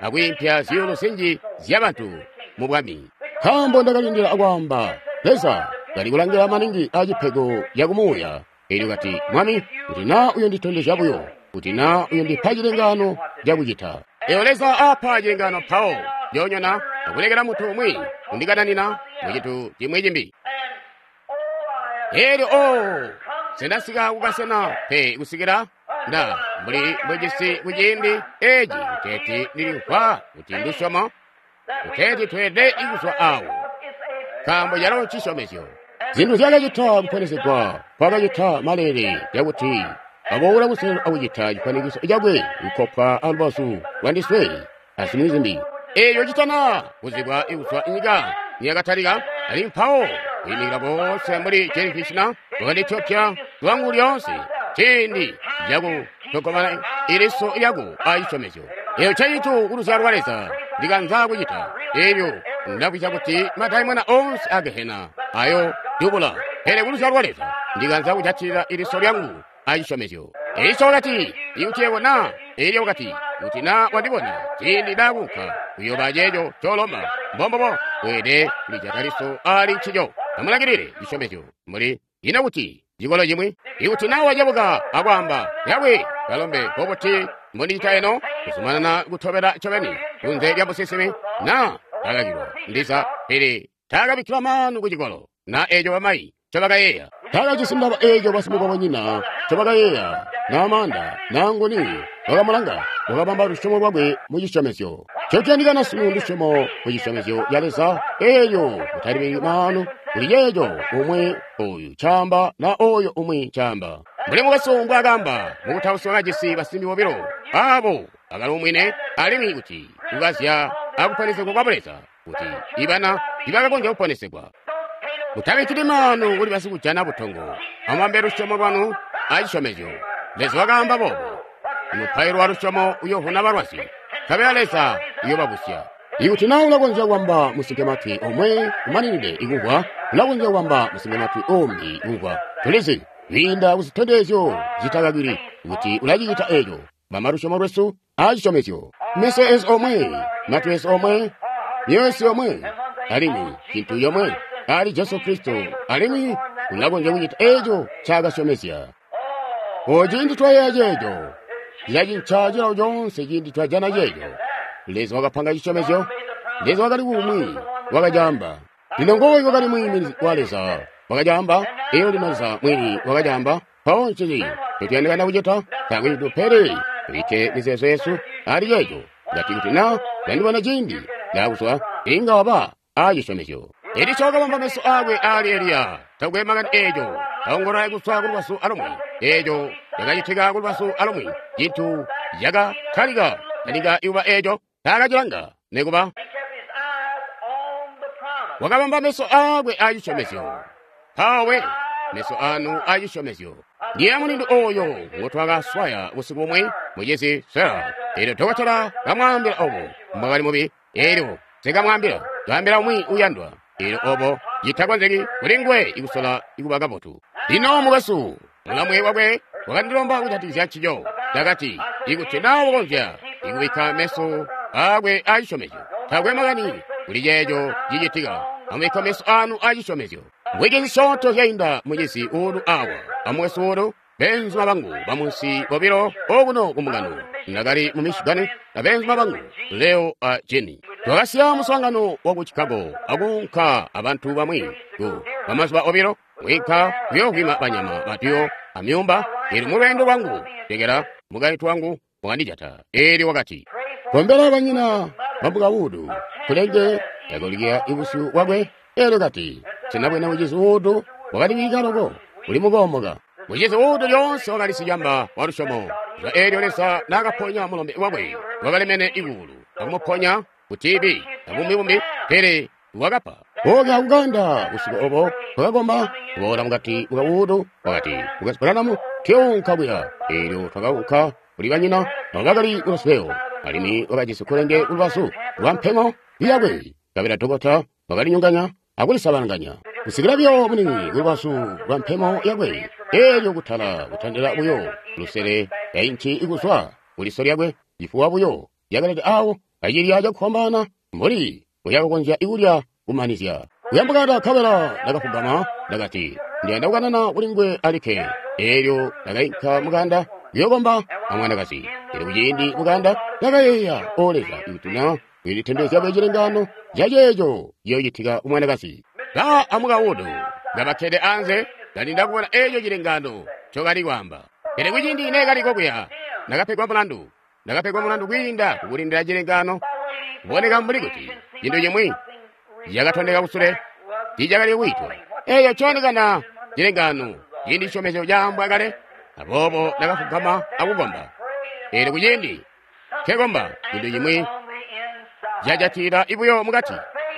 akwiimpya zyuulu zinji zyabantu mu bwami. Nkaambo ndakalindila akwaamba, Leza kali kulangila maningi acipego cakumuuya. Elyo kati, Mwami, kuti naa uyonditondezya buyo, kuti naa uyondipa cilengaano cakucita. Eyo Leza apa cilengaano mpawo, njoonyona akulekela muntu umwi kundikananina mu cintu cimwi cimbi. Elyo oh, sendasika kukasena pe kusikila nda mbuli mbwejisi kuciindi eci kuteeti ndilimvwa kuti ndusyomo, kuteeti tweelede kuzwa awo, nkaambo calo cisyomezyo. Zintu zyakacita kuponesegwa kwakacita maleele yakuti aboola kuselela akucita cifwanikiso cakwe kukkopwa alubazu lwandiswe azimwi zimbi. Eeyo citana kuzibwa kuzwa nyika niyakatalika, alimwi mpawo kwiimikila koonse mbuli jellyfish wakanditopya lwangu lyoonse ciindi cakutogomana iliso lyaku acisyomezyo. Eeyo ncecintu kuluzyalo lwa Leza ndikanza kucita. Elyo ndakwica kuti madaimona oonse a gehena ayo dubula, pele kuluzyalo lwa Leza ndikanza kujatilila iliso lyangu acisyomezyo. Eliso wakati, ikuti yebo na, Eliya wakati, kuti na wandibona ciindi ndaakuunka, uyooba ceeco colomba. Mbombobo weelede kulijata liso ali ncico. Amulangilile cisyomezyo mbuli ino kuti cikolo cimwi. Ikuti na wacebuka akwaamba, Yawe, kalombe mbobuti mbondicita eno, kuzumanana kutobela ncobeni kunze lya businsimi, na akakilwa ndiza, pele taakabikkila maanu ku cikolo na eeco bamayi ncobakayeeya. Taakajisi ndaba eeco basimukobonyina ncobakayeeya, na maanda, na nguni wakamulanga, wakabamba lusyomo lwakwe mu cisyomezyo. Ncociyandikana sunu ndusyomo mu cisyomezyo ca Leza, eeyo kutalibili maanu kuli ceeco umwi oyu ncaamba na oyo umwi ncaamba. Mbuli mukwesu mbwaakaamba, mukutausi wakajisi basimbi bobilo, aabo bakaluumwine, alimwi kuti kukazya akuponesegwa kwa Buleza, kuti ibana ibakakonzya kuponesegwa. Mutabikkili maanu kuli basikujana butongo, amubambe lusyomo lwanu acisyomezyo. Leza wakaamba boobo, mupailo wa lusyomo uyoovuna balwazi, nkabela Leza uyoobabusya. Ikuti naa ulakonzya kubamba musinkematwi omwe umaninide ikumvwa, ulakonzya kubamba musinkematwi umbi kumvwa. Tulizi kwiinda kuzitondezyo zitakakili kuti ulacicita eeco. Bamba lusyomo lwesu acisyomezyo. Meso esu omwe, matwi esu omwe, myoyo yesu yomwe, alimwi cintu yomwe ali Jesu Kristo, alimwi ulakonzya kucita eeco ncaakasyomezya. O ciindi twayeeya ceeco, cilacinca cilawo coonse ciindi twajana ceeco. Leza wakapanga cisyomezyo, Leza wakali umwi wakacaamba. Lino ngooyu wakali mwiiminizi wa Leza wakacaamba, elyo lino Leza mwini wakacaamba. Mpawo ncinzi ncotuyandikana kucita? Taakwe cintu pele tubikke mizeezo yesu ali ceeco. Ngati kuti na ndandibona ciindi ndaakuzwa, inga waba aacisyomezyo. Elisha wakabamba meso aakwe aali Eliya, takwe makani eeco kaongolola kuzwa kulubazu alumwi, eeco cakacitika kulubazu alumwi, cintu cakatalika talika ikuba eeco taakacilanga nikuba. Wakabamba meso aakwe aacisyomezyo. Mpawe meso anu aacisyomezyo. Ndiye mulindu oyo ngotwakaswaya busiku bumwi, mucizi Sarah. Elyo dokotela kamwaambila obo mbwakali mubi, elyo nsikamwaambila, kaambila umwi uyandwa. Elyo obo citakonzeki kuli nguwe ikusola ikuba kabotu. Lino mukwesu, mulamwe wakwe wakandilomba kujatikizya ncico. Ndakati, ikuti naa ukonzya ikubikka meso aakwe aacisyomezyo, takwe makani kuli ceeco cicitika, amubikka meso anu aacisyomezyo. Mvwiki zisyoonto zyainda mucizi uulu awa, amukwesu uulu, beenzuma bangu bamunsi bobilo okuno kumbungano. Ndakali mu Michigan na beenzuma bangu Leo a Jenny. Twakasiya muswaangano waku Chicago akuunka abantu bamwi ku kwamazuba obilo, kwiinka kuyoovwima banyama batuyo amyuumba. Elyo mulweendo lwangu tekela mukaintu wangu wakandijata, elyo wakati, kombela banyina bamuka Wood kulenge yakulikiya ibusyu bwakwe. Elyo kati, sinabwene mucizi Wood wakalibilika loko, uli mukoomoka. Mucizi Wood lyoonse wakali sicamba wa lusyomo. Kuzwa eelyo Leza naakaponya mulombe wakwe wakalemene ikuulu akumuponya ku T B abumwi bumbi, pele wakapa Oka kuganda busiku obo twakakomba kuboola mukati mukawudu wakati Mukwesu Branham tuyounka kuya. Eelyo twakaunka kuli banyina bakali ku alimwi wakajisi kulenge kulubazu lwa mpemo yakwe. Kabila dokota wakalinyonganya akulisabalanganya kusikila buyo munini kulubazu lwa mpemo yakwe. Eelyo kutala kutandila buyo lusele ya inchi ikuzwa kuliso lyakwe cifuwa buyo yakaleta awo acilya cakufwambaana mbuli buyakakonzya ikulya kumanizya. Kuyambukata kabela ndakafugama ndakati ndiyanda kukanana kuli ngwe alikke. Eelyo ndakainka mukanda kuyokomba amwanakazi. Eelyo kuciindi mukanda ndakayeeya, O Leza, ikuti na uyonditondezya bwe cilengano caceeco ciyoocitika kumwanakazi. Ba amukawudu ngabakkede anze ndalinda kubona eeco cilengano ncokali kwaamba. Pele kuciindi neekali kokuya ndakapegwa mulandu. Ndakapegwa mulandu kwiinda kukulindila cilengano kuboneka mbuli kuti cintu cimwi cakatondeka kusule tiicakali kwiitwa. Eeco coonekana cilengano ciindi cisyomezyo caambwa kale. Aboobo ndakafugama akukomba. Eelyo kuciindi nkekomba cintu cimwi cajatila ibuyo mukati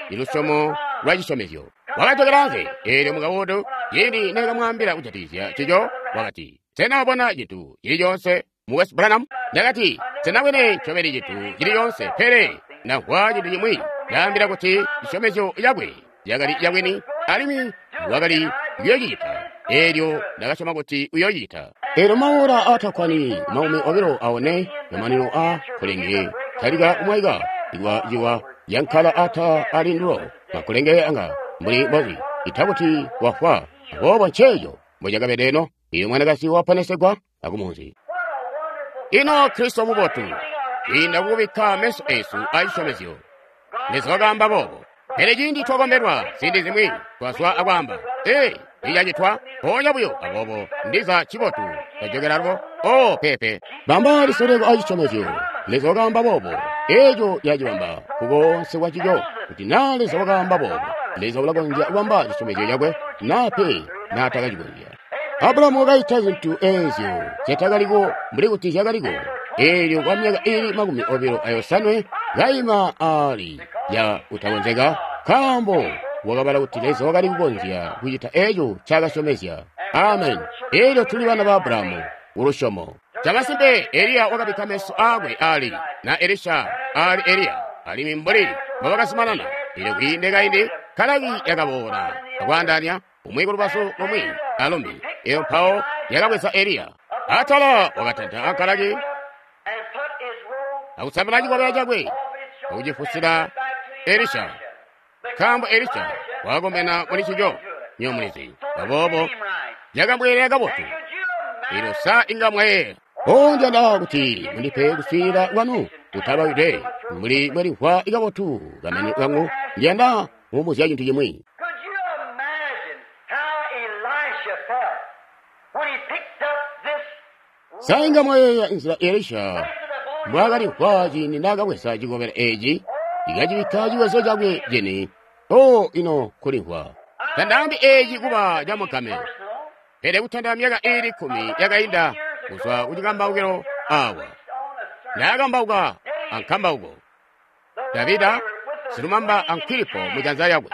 ilusyomo lwa cisyomezyo. Wakajokela anze. Eelyo mukawudu ciindi neekamwaambila kujatikizya cico wakati, sena wabona cintu cili coonse Mukwesu Branham? Ndakati, sena bwene ncobeni cintu cili coonse, pele ndamvwa cintu cimwi ndaambila kuti cisyomezyo cakwe cakali cabwini alimwi wakali kuyoocita. Eelyo ndakasyoma kuti uyoocita. Eelyo maora aatakwani makumi obilo aone mamanino a kulenge talika kumwaika iwa ciwa yankala ata ali ndulo makulenge anga mbuli mbozi ita kuti wafwa. Aboobo nceeco mbocakabede eno. Iyo mwanakazi waponesegwa akumunzi. Ino Kristo mubotu kwiinda kukubikka meso esu acisyomezyo. Leza wakaamba boobo. Pele ciindi twakombelwa ziindi zimwi twazwa akwaamba, ee, icacitwa mpoonya buyo. Aboobo ndiza cibotu tajokela lubo. O pepe bamba lisoleko acisyomezyo. Leza wakaamba boobo. Eeco yacibamba kukonse kwa cico kuti naa Leza wakaamba boobo, Leza ulakonzya kubamba cisyomezyo cakwe naa pe naatakacikonzya. Abulahamu wakaita zintu eezyo zyatakaliko mbuli kuti zyakaliko. Eelyo kwa myaka iili makumi obilo ayosanwe kaima ali ya kutakonzeka, nkaambo wakabala kuti Leza wakali kukonzya kucita eeco ncaakasyomezya. Amen. Eelyo tuli bana ba Abulahamu kulusyomo. Camasimpe Eliya wakabikka meso aakwe ali na Elisha ali Eliya, alimwi mbuli mbobakazumanana. Eelyo kwiinde kaindi kalaki yakaboola akwaandaanya umwi kulubazu lumwi alumbi. Eyo mpawo yakabweza Eliya atala wakatanta ankalaki akusambila cikobela cakwe akucifusila Elisha, nkaambo Elisha wakakomena muli cico nyomulizi. Aboobo yakambweelera kabotu. Eelyo sa inga mwayeeya, o njanda kuti mundipe kuswiilila kwanu kutabawide mbuli mwelimvwa ikabotu kamene kangu. Ndiyanda kumubuzya cintu cimwi. Sa inga mwayeeya nzila Elisha mbwaakalimvwa ciindi naakabweza cikobela eeci ikacibikka ciwezo cakwe cini? O ino kulimvwa. Tandaambi eeci kuba camugame, pele kutanda myaka iili kkumi yakainda kuzwa kucikambaukilo awa ndaakambauka ankambauko. Davida silumamba ankwilipo mujanza lyakwe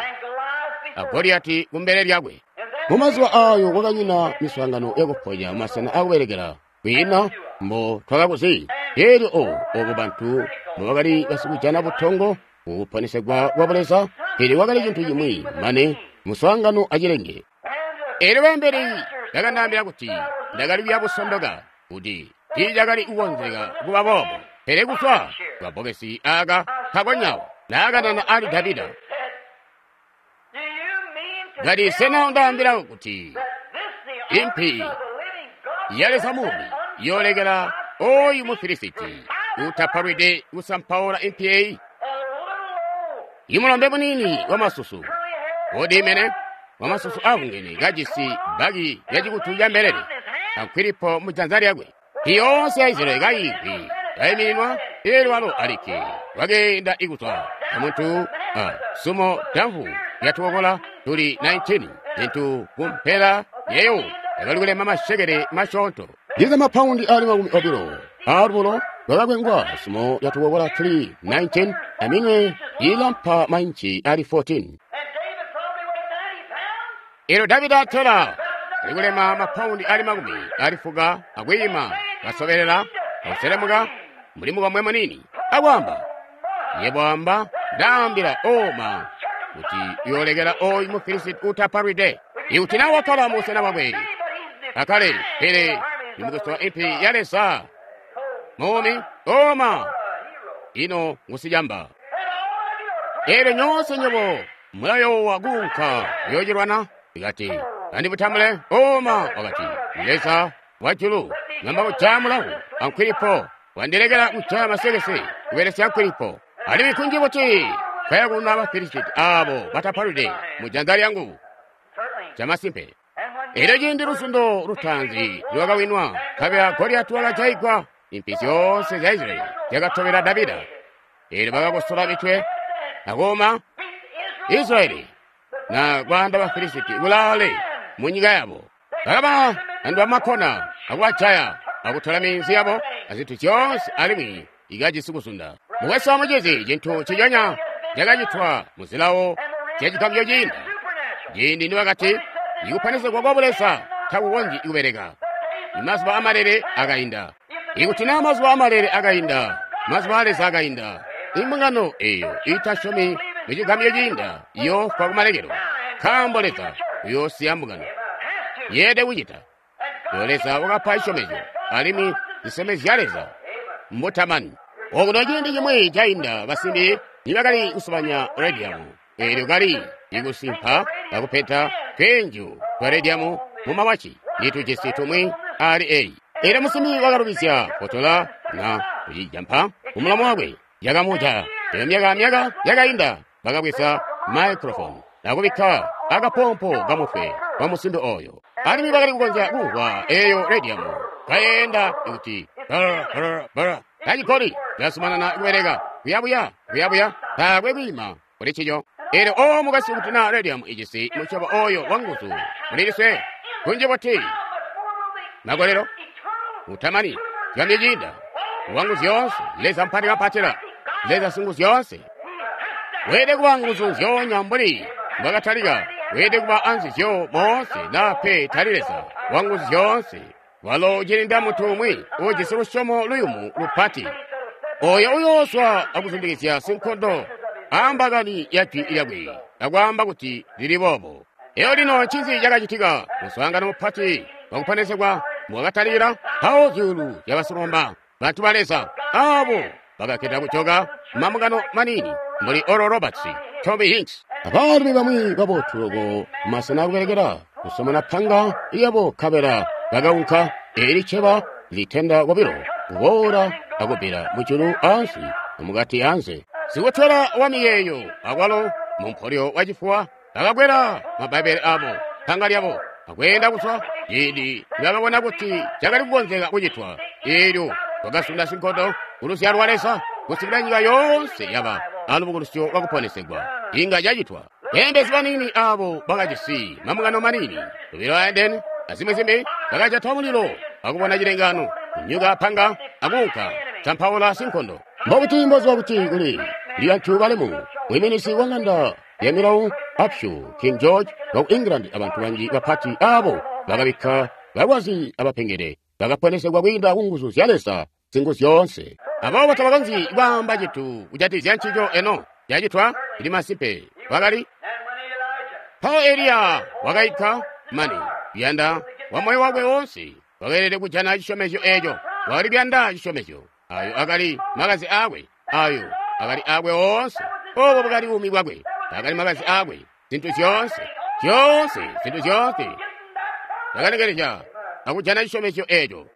a Goliyati kumbele lyakwe. Mumazuba aayo kwakanyina miswaangano yakuponya mumasena akubelekela kwiina mbo twakakuzi. Eelyo o obo bantu mbobakali basikujana butongo kukuponesegwa kwa Buleza, pele kwakali cintu cimwi mane muswaangano acilenge. Eelyo bambeli bakandaambila kuti ndakali kuya busondoka kuti tiicakali kukonzeka kuba boobo. Pele kuzwa kabbokesi aka kakonyawo naakanana ali Davida ngati, sena undaambila kuti impi ya Leza mubi yoolekela oyu Mufilisiti utapalwide kusampaula impi eyi? Imulombe munini wamasusu wodimene wamasusu avungene kajisi baki yacikutu ca mbelele ankwilipo mujanza lyakwe. Yoonse ya Israeli kayiimvwi kaimininwa. Eelyo walo alikke wakeenda ikuzwa amuntu a sumo damfu lyatukokola tuli nineteen zintu kumpela yeyo yakali kulema mashekele masyoonto ndiza mapaundi ali makumi obilo alubulo lwakakwengwa sumo lyatukokola tuli nineteen aminwe ilampa mainci ali fourteen. Elyo Davida tela likulema mapaundi ali makumi alifuka akwiima kasobelela akuselemuka muli mukamwe munini akwamba yebo amba ndaambila oma kuti uyolekela oyu Mufilisiti utapalwide ikuti nawe wakkala mu busena bwakwe akale pele nimukusowa impi ya Leza mumi oma ino ngusijamba elyo nyoonse nyobo mulayowa kuunka kuyoocilwana ikati andibutambule oma wakati Leza wajulu ngamba kujaya mulawu ankwilipo wandilekela kujaya masekese kubelesya nkwilipo alimwi kunji kuti kaya kuna Abafilisiti abo batapalwide mu janza lyangu chamasimpe. Elyo ciindi lusundo lutaanzi lwakawinwa nkabela Goliyati wakajayigwa impi zyoonse zya Israyeli zyakatobela Davida. Elyo bakakosola mitwe akoma Israyeli na kwaanda Bafilisiti kulaale mu nyika yabo. Bakaba andu amakona akuwajaya akutola minzi yabo azintu zyoonse alimwi ikajisi kuzunda. Mukwesu wa mucizi cintu nciconya cakacitwa muzilawo zyacikambyo ciinda. Ciindi niwakati ikuponesegwa kwa Buleza takukonzyi kubeleka. Imazuba amalele akainda. Ikuti naa mazuba amalele akainda, mazuba a Leza akainda, imbungano eyo itasyomi mucikambyo ciinda iyoofwa kumalekelo, nkaambo Leza uyoosiya mbungano. Yeelede kucita. Leo Leza wakapa cisyomezyo, alimwi zisyomezyo zya Leza mbutamani. Okuno ciindi cimwi cainda basimbi nibakali kusobanya rediamu, eelyo kali ikusimpa akupeta twenju twa rediamu mu mawaci nitujisi tumwi ali eyi. Eelyo musimbi wakalubizya fotola na kucijampa kumulomo wakwe yakamuja. Eyo myaka myaka yakainda bakabweza microphone akubikka akapompo kamutwe wa musimbi oyo. Alimwi bakali kukonzya kumvwa eyo rediamu kayenda ikuti bara bara bara. Tacikoli lasumanana kubeleka kuyabuya kuyabuya taakwe kwiima kuli cico. Eelyo o mukasi kuti na rediamu ijisi musyobo oyo wanguzu muliliswe kunji buti makolelo utamani cigamye ciinda wangu zyoonse Leza mpati kapatila Leza singu zyoonse weelede kuba nguzu nzyoonya mbuli mbwakatalika weelede kuba anzizyo moonse naa pe tali Leza wanguzu zyoonse walo ucilinda muntu umwi uujisi lusyomo luyumu lupati oyo uyooswa akuzundikizya sinkondo ambakani ya jwi lyakwe akwaamba kuti lili boobo. Eyo lino ncinzi cakacitika muswaangano mupati wakuponesegwa mwakatalikila mpawo zyuulu zyabasilumba bantu ba Leza abo bakakketa kujoka mambungano manini mbuli Oral Roberts, Tommy Hicks abaalumi bamwi babotu loko mumasena akubelekela kusomona panga lyabo nkabela bakaunka eli ceba litenda kobilo kuboola akubbila mujulu ansi amukati anze. Sikutwela wa miyeeyo akwalo mumpolyo wa cifuwa bakakwela mabbaibele abo panga lyabo akweenda kuzwa ciindi nibakabona kuti cakali kukonzeka kucitwa. Eelyo twakasunda sinkondo kuluzyalo lwa Leza kusikila nyika yoonse yaba alubukulusyo lwakuponesegwa inga cacitwa. Beembezi banini abo bakajisi mambungano manini lubilo a Edeni azimwi zimbi bakajata mulilo akubona cilengano kunyuka panga akuunka tampaula sinkondo. Mbobuti mboziba kuti kuli bantu balemu mwiiminisi wa ng'anda ya milawu Upshaw King George waku England abantu banji bapati abo bakabikka balwazi abapengele bakaponesegwa kwiinda ku nguzu zya Leza zingu zyoonse. Aboobo tabakonzyi kwaamba cintu kujatikizya ncico eno cacitwa cili masimpe wakali mpawo Eliya wakaikka mane kuyanda wa moyo wakwe wonse wakeelede kujana cisyomezyo eeco wakali kuyanda cisyomezyo ayo akali makazi aakwe ayo akali aakwe oonse obo bwakali buumi bwakwe akali makazi aakwe zintu zyoonse zyoonse zintu zyoonse zakalekelezya akujana cisyomezyo eeco.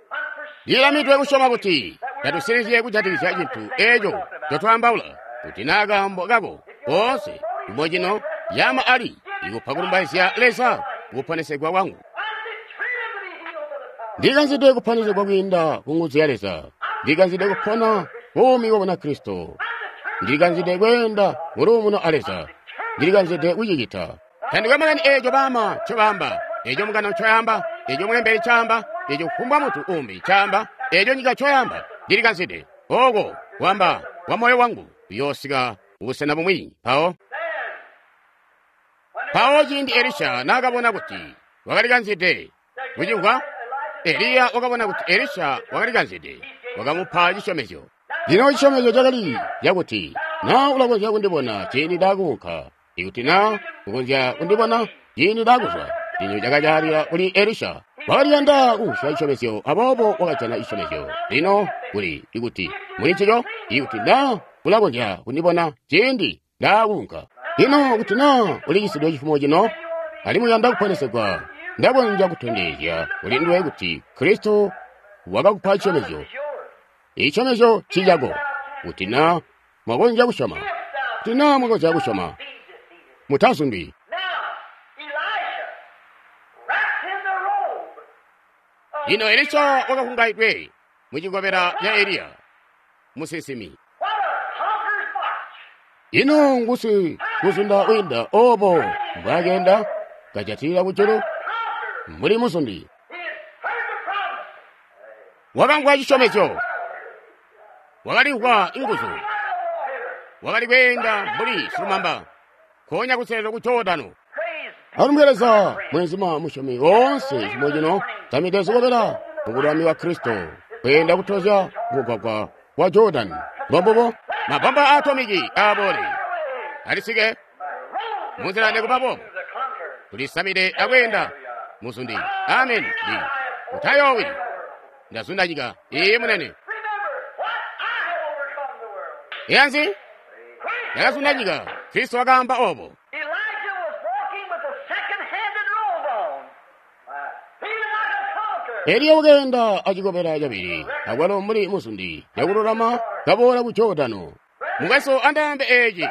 Lilamidwe kusyoma kuti tatusinizye kujatikizya cintu eeco ncotwaambaula kuti naa kaambo kako koonse cimo cino yama ali ikupa kulumbaizya Leza kuponesegwa kwangu. Ndikanzidwe kuponesegwa kwiinda ku nguzu ya Leza. Ndikanzidwe kupona buumi bwa Bunakristo. Ndikanzidwe kweenda muluumuno a Leza. Ndikanzidwe kucicita. Tandikwe makani eeco baama ncobaamba, eeco mungano ncoyamba, eeco mulembeli ncaamba, eeco kufumbwa muntu umbi ncaamba, eeco nyika ncoyamba. Ndilikanzide oko kwamba kwa moyo wangu uyoosika kubusena bumwi mpawo. Mpawo ciindi Elisha naakabona kuti wakali kanzide kucimvwa, Eliya wakabona kuti Elisha wakali kanzide, wakamupa cisyomezyo. Lino cisyomezyo cakali cakuti, na ulakonzya kundibona ciindi ndakuunka, ikuti na ukonzya kundibona ciindi ndakuzwa. Lino cakacaaliya kuli Elisha. Wakaliyanda kuusya cisyomezyo, aboobo wakajana cisyomezyo. Lino kuli ikuti muli ncico, ikuti na ulakonzya kundibona ciindi ndakuunka. Lino kuti na ulicisidwe cifumo cino, alimwi uyanda kuponesegwa, ndakonzya kutondezya kuli nduwe kuti Kristo wakakupa cisyomezyo. Icisyomezyo cicako, kuti na mwakonzya kusyoma, kuti na mwakonzya kusyoma, mutazundwi. Lino Elisha wakahungaidwe mucikobela ca Eliya musinsimi. Ino ngusi kuzunda kwiinda obo mbwaakenda kajatilila kujulu mbuli muzundi. Wakamvwa cisyomezyo, wakalimvwa inguzu, wakali kweenda mbuli silumamba nkoonya kuselelo ku Jordano. Alumbwe Leza mwenzima musyomi woonse cifumo cino samide zikobela mubulwami wa Kristo kweenda kutozya mugwagwa wa Jordani. Mbombubo mabomba aatomiki aaboole alisike munzila nikuba boobo tulisamide akweenda muzundi. Amen. Utayoowi, ndazunda nyika. Iye munene yanzi ndakazunda nyika. Kristo wakaamba obo. Eliya wakeenda acikobela cabili akwalo muli muzundi yakululama kaboola ku Jordano. Mukwesu andaambe eeci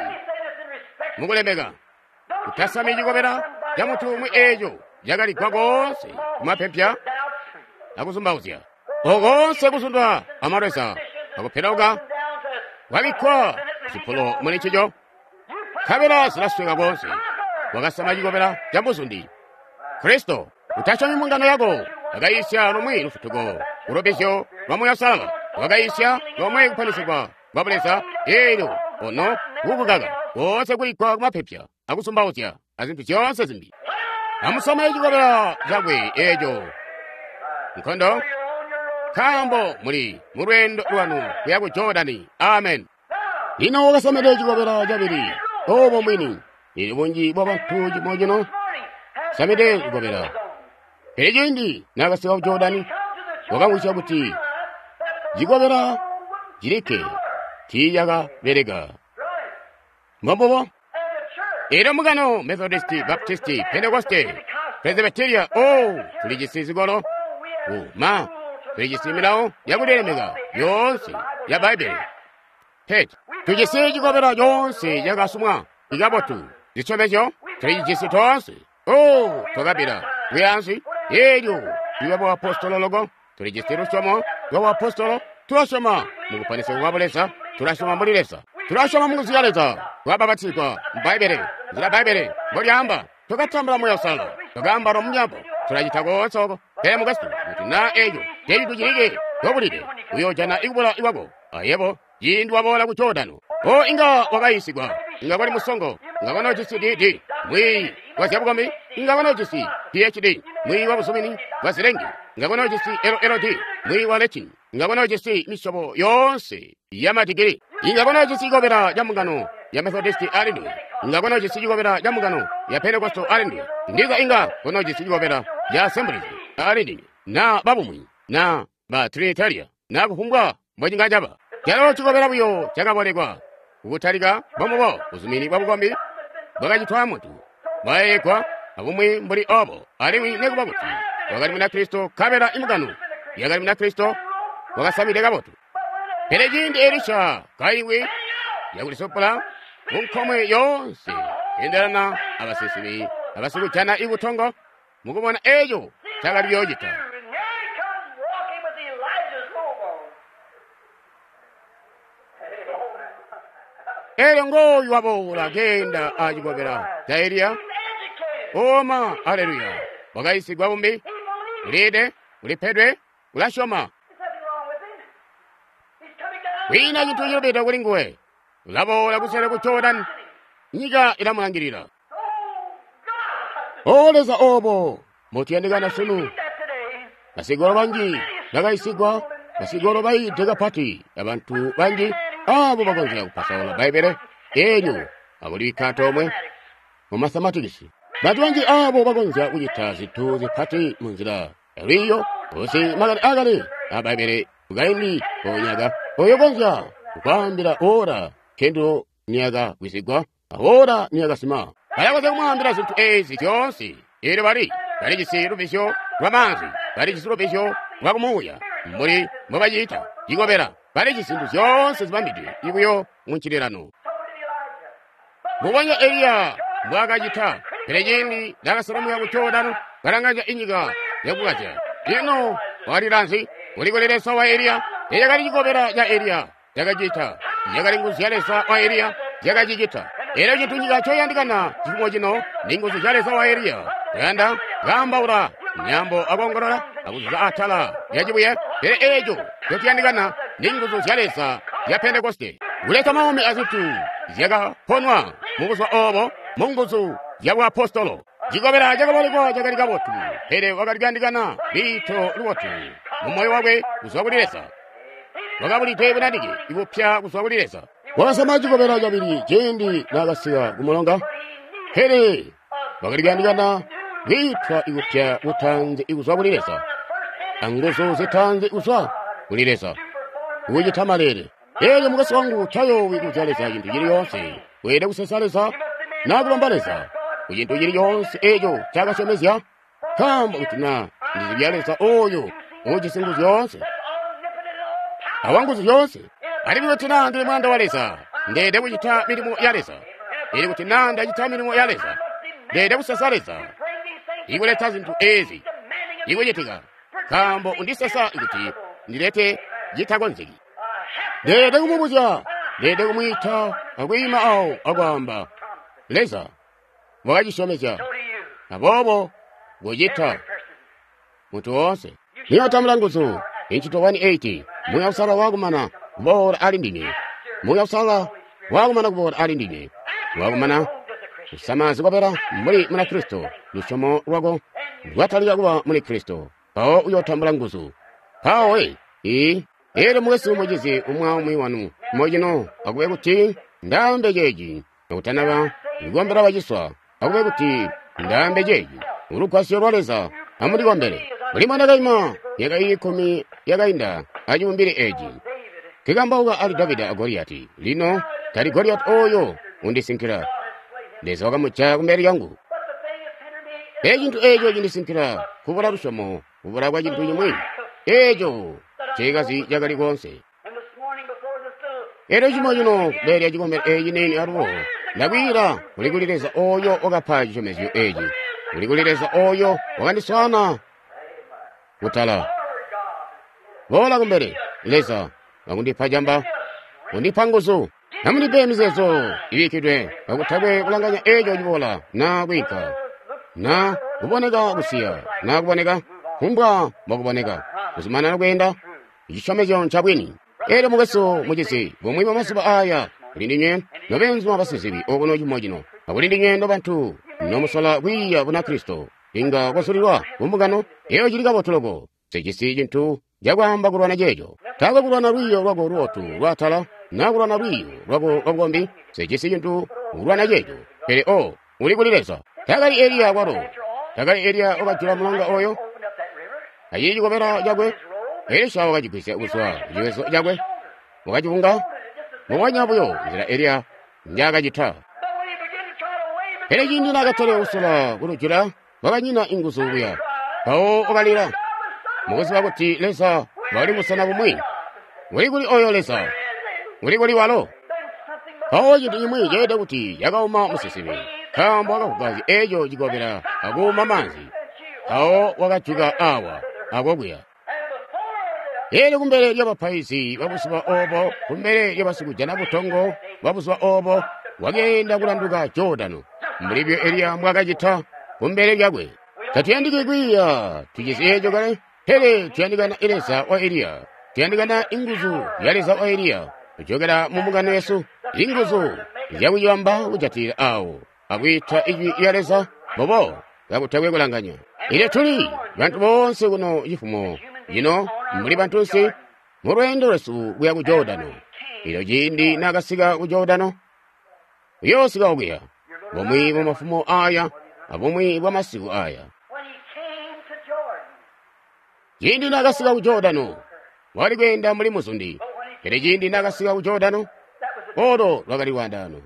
mukulemeka, kutasami cikobela ca muntu umwi eeco cakaligwa koonse kumapempya akuzumbauzya, okoonse kuzundwa amalweza akupelauka kwabikkwa zipulo muli ncico, nkabela zilasweka koonse. Wakasama cikobela ca muzundi Kristo. Utasyomi mbungano yako. Wakayisya lomwe lufutuko ulubizyo lwa Muuya Uusalala. Wakayisya lomwe kuponesegwa kwa Buleza. Eelyo ono kukukaka koonse kuligwa kumapempya akusumbauzya azintu zyoonse zimbi. Amusome cikobela cakwe eeco nkondo, nkaambo muli mulweendo lwanu kuya ku Jordani. Amen. Lino wakasamide cikobela cabili obo mwini. Ili bunji bwa bantu cimo cino samide cikobela. Pele ciindi naakasika ku Jordani, wakamvwisya kuti cikobela cilikke tiicakabeleka. Mbombubo. Eelyo mbungano Methodisti, Baptisti, Pentekoste, Presbyteria, oh, tulijisi zikolo, ma, tulijisi milawo yakulilemeka yoonse ya Bbaibbele. Pet, tujisi cikobela coonse cakasumwa ikabotu, zisyomezyo tulijisi toonse. Oh, twakabila kuyansi eelyo lwa buapostolo loko, tulijisi lusyomo lwa buapostolo, tulasyoma mukuponesegwa kwa Buleza, tulasyoma muli Leza, tulasyoma munguzu ya Leza, twabapatizigwa mu Bbaibbele, nzila Bbaibbele mbolyaamba, twakatambula Muuya Uusalala, twakaamba lwa mumyaambo, tulacita koonse oko. Pele mukwesu, kuti naa eeco tecintu cilikke cobulide, uyoojana ikubula kwako ayebo ciindi waboola ku Jordano. O inga wakayiisigwa, inga kwali musongo, inga kwanoojisi D D, mwiiyi wa zyabukombi, inga kwanoojisi P H D, mwiiyi wa buzumini bwa zilenge, inga kwanoojisi L L D, mwiiyi wa Latin, inga kwanoojisi misyobo yoonse ya madigiri, inga kwanoojisi cikobela ca mbungano ya Methodisti alinduwe, inga kwanoojisi cikobela ca mbungano ya Pentecostal alinduwe, ndiza inga kwanoojisi cikobela ca Assemblies alindinywe, na babumwi, na ba Trinitaria, na kufumbwa mbocinga caba. Calo cikobela buyo cakabolekwa kukutalika bwamubo buzumini bwa bukombi bwakacitwa muntu bwayeegwa abumwi mbuli obo, alimwi nekuba kuti wakali Munakristo nkabela imbungano yakali Munakristo wakasamide kabotu. Pele ciindi Elisha kaiwi yakulisopula munkomwe yoonse endelana abasinsimi abasikujana ibutongo mukubona eeco cakali kuyoocita. Eelyo ngooyu waboola keenda acikobela ca Eliya. Oma, aleluya! Wakayiisigwa bumbi, uliide, ulipedwe, ulasyoma. Kwiina cintu cilubide kuli nguwe. Ulaboola kusele ku Jordan, nyika ilamulangilila. O Leza, obo mbotuyandikana sunu. Basigolo banji bakaisigwa, basigolo bayiide kapati, abantu banji abo bakonzya kupasaula Bbaibbele eelyo akulibikka antoomwe mu mathematikisi. Bantu banji abo bakonzya kucita zintu zipati munzila lwiiyo, usi makani akale a Bbaibbele kaindi konyaka oyo konzya kukwaambila ora kendo niyaka kwisigwa ora niyakasima. Balakonzya kumwaambila zintu ezi zyoonse. Eelyo bali balijisi lubbizyo lwa maanzi, balijisi lubbizyo lwa kumuuya, mbuli mbobacita cikobela, balijisi zintu zyoonse zibambidwe buyo mu ncililano. Mbubonya Eliya mbwaakacita, pele ciindi naakaselemuka ku Jordano kalanganya inyika yakukazya. Lino wakalila nzi? Uli kuli Leza wa Eliya? Yakali cikobela ca Eliya cakacita. Yakali nguzu zya Leza wa Eliya zyakacicita. Elyo cintu nyika ncoyandikana cifumo cino ni nguzu zya Leza wa Eliya. Kuyanda kaambaula myaambo akoongolola akuzuza atala lya cibuye, pele eeco ncotuyandikana ni nguzu zya Leza zya Pentekoste. Kuleta maumi azintu zyakaponwa mubuzuba oobo munguzu zya buapostolo. Cikobela cakabalikwa cakali kabotu, pele wakali kuyandikana lwiito lubotu mu moyo wakwe kuzwa kuli Leza. Wakabulide bunanike bupya kuzwa kuli Leza. Wakasama cikobela cabili ciindi naakasika kumulonga, pele wakali kuyandikana kwiitwa ikupya kutanzi kuzwa kuli Leza, anguzu zitanzi kuzwa kuli Leza, kucita maleele. Eelyo mukwesu wangu tayoowi kuzya Leza cintu cili coonse. Weelede kusesa Leza naa kulomba Leza ku cintu cili coonse eeco ncaakasyomezya, nkaambo kuti naa ndizibya Leza ooyo uujisi nguzu zyoonse, awanguzu zyoonse. Alimwi kuti naa ndili mwana wa Leza, ndeelede kucita milimo ya Leza. Eelyo kuti naa ndacita milimo ya Leza, ndeelede kusesa Leza ikuleta zintu ezi ikucitika, nkaambo undisesa kuti ndilete citakonzeki. Ndeelede kumubuzya, ndeelede kumwiita akwiima awo akwaamba, Leza wakacisyomezya, aboobo kucita muntu woonse. Niyotambula nguzu, incito one eighty, Muuya Uusalala wakumana kuboola ali ndinywe. Muuya Uusalala wakumana kuboola ali ndinywe. Wakumana kusama zikobela mbuli muna Kristo, lusyomo lwako lwatalika kuba muli Kristo, mpawo uyotambula nguzu. Mpawo we, ii, eelyo mukwesu mucizi umwi aumwi wanu mocino akube kuti ndaambe ceeci, akutanaba kukombela baciswa, akube kuti ndaambe ceeci, ulugwasyo lwa Leza amulikombele. Mbuli mwanakaima myaka ikumi yakainda acibumbili eeci, nkikambauka ali Davida a Goliyati. Lino tali Goliyati oyo undisinkila, Leza wakamujaya kumbele lyangu. Pele cintu eeco cindisinkila kubula lusyomo, kubula kwa cintu cimwi eeco cikazi cakali koonse. Elyo cimo cino kumbele lya cikombelo eeci nini alubo, ndakwiila kuli kuli Leza oyo wakapa cisyomezyo eeci, kuli kuli Leza oyo wakandiswaana kutala. Boola kumbele, Leza wakundipa camba, kundipa nguzu. Amundipe mizeezo ibikkidwe kakutakwe kulanganya eeco ciboola naa kwiinka, naa kuboneka kusiya, naa kuboneka kumbwa mbokuboneka, kuzumanana kweenda icisyomezyo ncabwini. Eelyo mukwesu mucizi, bumwi bwa mazuba aya kuli ndinywe nobenzuma basizibi okuno cimo cino, akuli ndinywe nobantu nomusola kwiiya Bunakristo, inga kwazulilwa kumbungano eyo cili kabotu loko. Sijisi cintu cakwaamba kulwana ceeco. Taakwe kulwana lwiiyo lwako lubotu lwaatala, naa kulwana lwiiyo lwako lwabukombi, sijisi cintu kulwana ceeco. Pele o, uli kuli Leza. Takali Eliya kwalo. Takali Eliya wakajula mulonga oyo aciyi cikobela cakwe. Elisha wakacigwisya kuzwa kuciwezo cakwe, wakacibunga mbubonya buyo nzila Eliya njaakacita. Pele ciindi naakatalika kusola kulujula, wakanyina inguzu buya. Mpawo wakalila, mukuziba kuti Leza wakali busena bumwi. Uli kuli oyo Leza? Uli kuli walo? Mpawo cintu cimwi ceelede kuti cakauma musinsimi, nkaambo wakavuka eeco cikobela akuuma maanzi. Mpawo wakajuka awa akokuya. Eelyo kumbele lyabapaizi babuzuba oobo, kumbele lyabasikujana butongo babuzuba oobo, wakeenda kulanduka Jordano, mbuli buyo Eliya mbwaakacita kumbele lyakwe. Tatuyandiki kwiiya, tucizi eeco kale, pele tuyandikana Leza wa Eliya, tuyandikana inguzu ya Leza wa Eliya, kujokela mu mbungano yesu, inguzu zyakucibamba kujatilila awo, akwiita ijwi lya Leza, bobo kakutakwe kulanganya. Elyo tuli bantu boonse kuno cifumo cino mbuli bantunsi mu lweendo lwesu kuya ku Jordano. Elyo ciindi nakasika ku Jordano, uyoosika okuya bumwi bwa mafumo aya abumwi bwa masiku aya. Ciindi nakasika ku Jordano, wakali kweenda mbuli muzundi. Pele ciindi nakasika ku Jordano, olo lwakali lwaandaano.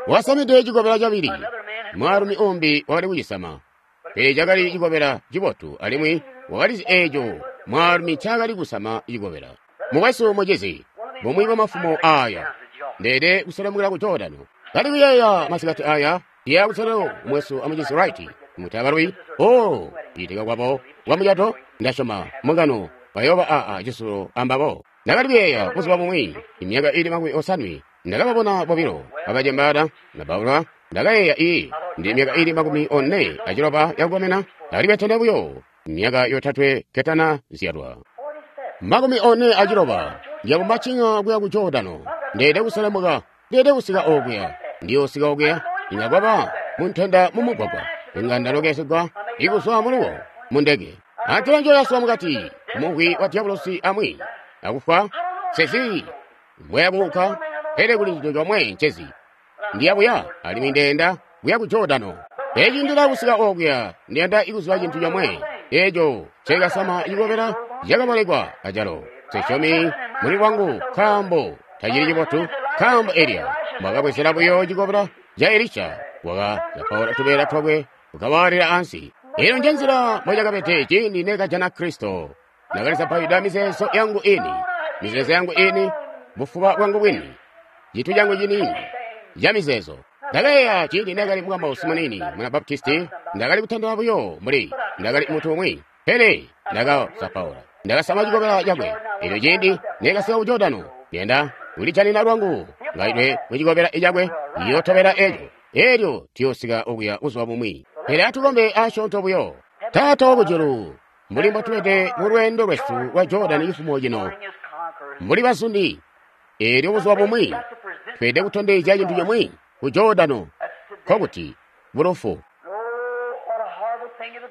Wasamide cikobela cabili, mwaalumi umbi wakali kucisama. Pele cakali cikobela cibotu alimwi wakalizi eeco mwaalumi ncaakali kusama cikobela. Mukwesu mucizi, bumwi bwa mafumo aya, ndeede kuselemukila ku Jordano. Kali kuyeeya masikati aya, ndiya kuselelo mwesu amucizi Wright, mutabalwi, oh, kucitika kwabo kwa mucato, ndasyoma mbungano bayooba aa cisulo ambabo. Ndakali kuyeeya buzuba bumwi, imyaka ili makumi osanwe, ndakababona bobilo abacembaala na Paula. Ndakayeeya iyi ndi myaka ili makumi one aciloba yakukomena, ndakali buyo myaka yotatwe ketana zyalwa. Makumi one aciloba ndiyakumacinga kuya ku Jordano, ndeede kuselemuka, ndeede kusika okuya, ndiyosika okuya, inga kwaba muntenda mumugwagwa, inga ndalokezegwa ikuzwa muluwo mundege. Antela njoyaswa mukati mumvwi wa diabulosi amwi akufwa sezi mbweyakuuka, pele kuli cintu comwe ncezi ndiyabuya alimwi ndeenda kuya ku Jordano. Pele ciindi kusika okuya ndiyanda ikuziba cintu comwe eeco ncekasama cikobela cakabolekwa acalo. Sesyomi muli lwangu nkaambo tacili cibotu, nkaambo Eliya mbwakabwezela buyo cikobela ca Elisha wakazapaula tubeela twakwe ukawaalila ansi. Eyo nje nzila mbocakabede ciindi nekajana Kristo. Ndakalizapaida mizeezo yangu ini, mizeezo yangu ini, bufuba bwangu bwini, cintu changu ciniini ca mizeezo. Ndakayeeya ciindi ndakali mukambausi muniini muna Baptisti, ndakali kutandila buyo mbuli ndakali mutu umwi, pele ndakazapaula, ndakasama cikobela cakwe. Elyo ciindi nekasika ku Jordano, ndiyanda kulijanina lwangu ngaidwe mu cikobela cakwe, iyotobela eco. Elyo tuyosika okuya buzuba bumwi. Pele atukombe asyoonto buyo. Taata wakujulu, mbuli mbotubede mu lweendo lwesu lwa Jordani cifumo cino, mbuli bazundi, elyo buzuba bumwi tweede kutondezya cintu cimwi ku Jordano, nkokuti bulufu.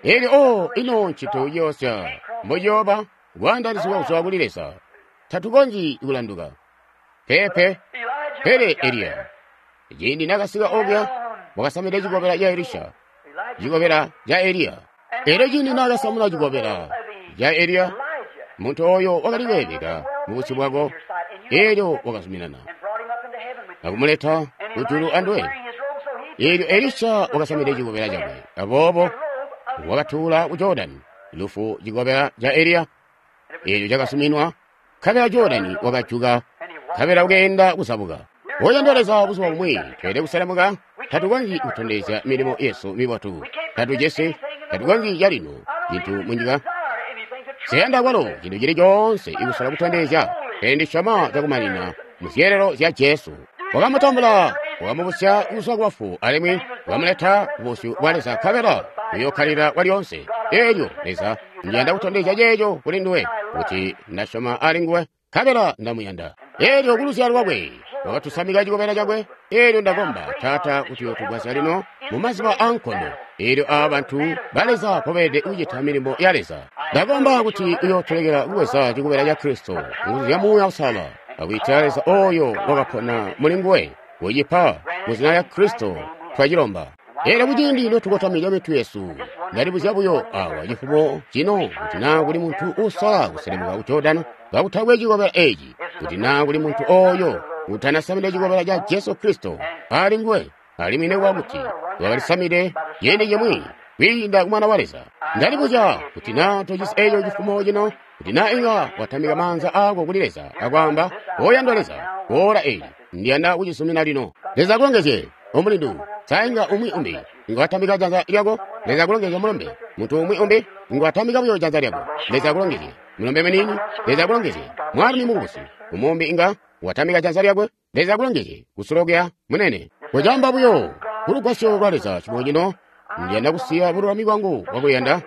Elyo oh, ino ncintu ciyoosya mbociyooba kwaandalizigwa kuzwa kuli Leza. Tatukonzyi kulanduka. Peepe, pele Eliya ciindi nakasika okuya wakasamide cikobela ca Elisha, cikobela ca Eliya. Elyo ciindi nakasamuna cikobela ca Eliya, muntu oyo wakali kweebeka mubusyu bwako, elyo wakazuminana akumuleta kujulu anduwe. Elyo Elisha wakasamide cikobela cakwe, aboobo wakatuula ku Jordani lufu cikobela ca Eliya, elyo cakasuminwa, nkabela Jordani wakajuka, nkabela ukeenda kuzabuka. Oyandwa Leza, buzuba bumwi tweede kuselemuka. Tatukonzyi kutondezya milimo yesu mibotu, tatujisi, tatukonzyi calino cintu munyika. Siyanda kwalo cintu cili coonse ikusola kutondezya, pele ndisyoma cakumanina mu zyeelelo zya Jesu. Wakamutambula, wakamubusya kuzwa kubafu, alimwi wakamuleta kubusyu bwa Leza, nkabela uyookkalira kwalyoonse. Elyo Leza, ndiyanda kutondezya ceeco kuli nduwe, kuti ndasyoma ali nguwe, nkabela ndamuyanda. Elyo kuluzyalo lwakwe wakatusamika cikobela cakwe. Elyo ndakomba Taata kuti uyotugwasya lino mu mazuba aankondo, elyo aaba bantu ba Leza mpobeelede kucita milimo ya Leza. Ndakomba kuti uyootulekela kubweza cikobela ca Kristo, nguzu zya Muuya Uusalala, akwiitila Leza oyo wakapona muli nguwe, kucipa mu zina lya Kristo twacilomba. Elyo kuciindi notukotamika mitwe yesu, ndalibuzya buyo awa cifumo cino kuti naa kuli muntu uusala kuselemuka ku Jordano kakutakwe cikobela eci, kuti naa kuli muntu oyo utanasamide cikobela ca Jesu Kristo ali nguwe, alimwi nekuba kuti wakalisamide ciindi cimwi kwiinda ku Mwana wa Leza. Ndalibuzya kuti naa tojisi eco cifumo cino, kuti naa inga watamika maanza aako kuli Leza akwaamba, oyandwa Leza, boola eli, ndiyanda kucisumina lino. Leza akulongezye, omulindu. Sa inga umwi umbi inga watamika janza lyako? Leza akulongezye, mulombe. Muntu umwi umbi inga watamika buyo janza lyako. Leza akulongezye, mulombe muniini. Leza akulongezye, mwaalumi mukubusi. Umumbi inga watamika janza lyakwe. Leza akulongezye, kusulokya munene. Kucamba buyo kulugwasyo lwa Leza cifumo cino, ndiyanda kusiya bululami bwangu bwakuyanda,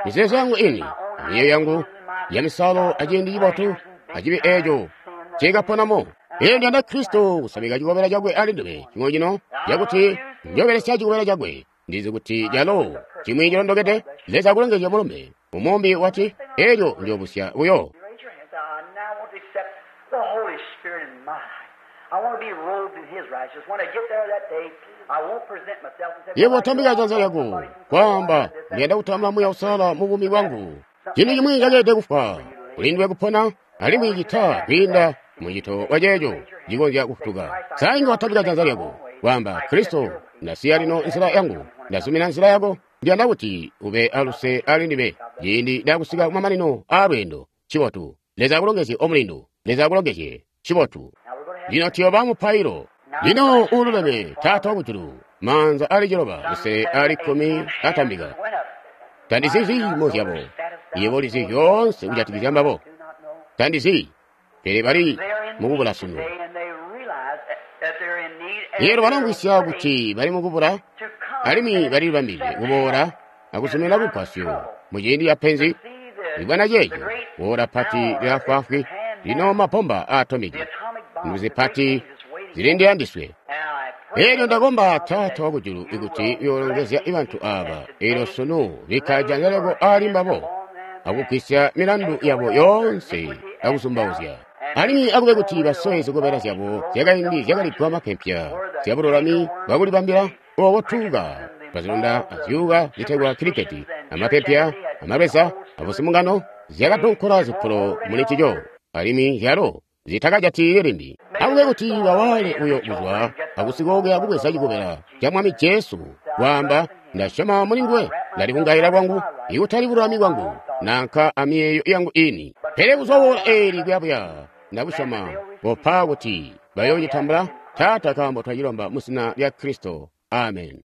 mizeezo yangu ini, miyeeyo yangu ya misalo aciindi cibotu acibi eeco ncekaponamo. Elyo ndiyanda Kristo kusamika cikobela cakwe ali ndime cifumo cino, cakuti njobelesya cikobela cakwe Ndizi kuti calo cimwi cilondokede. Leza akulongezye mulombe. Umumbi wati, elyo njobusya buyo. Raise your hands. I now want to accept the Holy Spirit in my life. I want to be robed in His righteousness. When I get there that day, I won't present myself and say, Yebo tambika janza lyako kwaamba ndiyanda kutambula Muuya Uusalala mu buumi bwangu. Cintu cimwi cakeelede kufwa kulindwe kupona alimwi cita kwiinda mucito wa ceeco cikonzya kufutuka. Sa inga watambika janza lyako kwaamba Kristo, ndasiya lino nzila yangu, ndazumina nzila yako, ndiyanda kuti ube aluse ali ndime ciindi ndakusika kumamanino aa lweendo. Cibotu. Leza akulongezye omulindu. Leza akulongezye. Cibotu. Now we're going to have Lino tuyooba mupailo. Lino ululeme Taata wakujulu, maanza ali ciloba, lusele ali kkumi atambika. went up. Tandizi ziimo zyabo. Yebo ulizi zyoonse kujatikizya mbabo. Do not know. Tandizi. Pele bali They are in mukubula need sunu. today, and they realize that, that they're in need. And Lero they're balamvwisya afraid kuti bali mukubula to come alimwi and balilibambide accept kuboola akuzumina lugwasyo muciindi ca penzi. See the, Libwana the ceeco great boola pati power lilafwaafwi at hand lino now, mabomba aatomiki the atomic bomb, ndu the great zipati thing that's waiting zili ndiyandiswe. And I pray, Elyo ndakomba Taata that wakujulu you ikuti will uyoolongezya bless bantu these aba people elyo today. sunu bikka Lay janza lyako your ali hands mbabo upon them and akugwisya milandu take yabo away all their yoonse iniquity and akuzumbauzya doubt, and alimwi may akube they kuti throw away basowe their zikobela old zyabo false zyakaindi zyakaligwa self-righteousness, mapempya where the zyabululami cankerworms bwakulibambila and the obo crickets tuuka and the bazilonda moths of azyuuka zitegwa kiriketi superstitions and amapempya churchianity had amabeza hold to it. abusimungano They, zyakadonkola it won't zipulo hold any muli ncico longer. alimwi zyalo zitakajatile limbi May akube they kuti just throw it bawale away and uyo reach over kuzwa and get the akusikookera love kubweza of the Lord cikobela ca mwami Jesus. Jesu Say, I kwaamba trust in Him. ndasyoma muli I nguwe wrap myself ndalikungaila up in kwangu my righteousness, ikutali bululami not my bwangu own thoughts, nanka amiyeeyo yangu ini but pele to kuzwa thou wola I eli trust, kuyabuya ndakusyoma that they'll receive kopa it. kuti For we ask bayoocitambula it in Christ's Taata nkaambo twacilomba mu zina lya Kristo amen.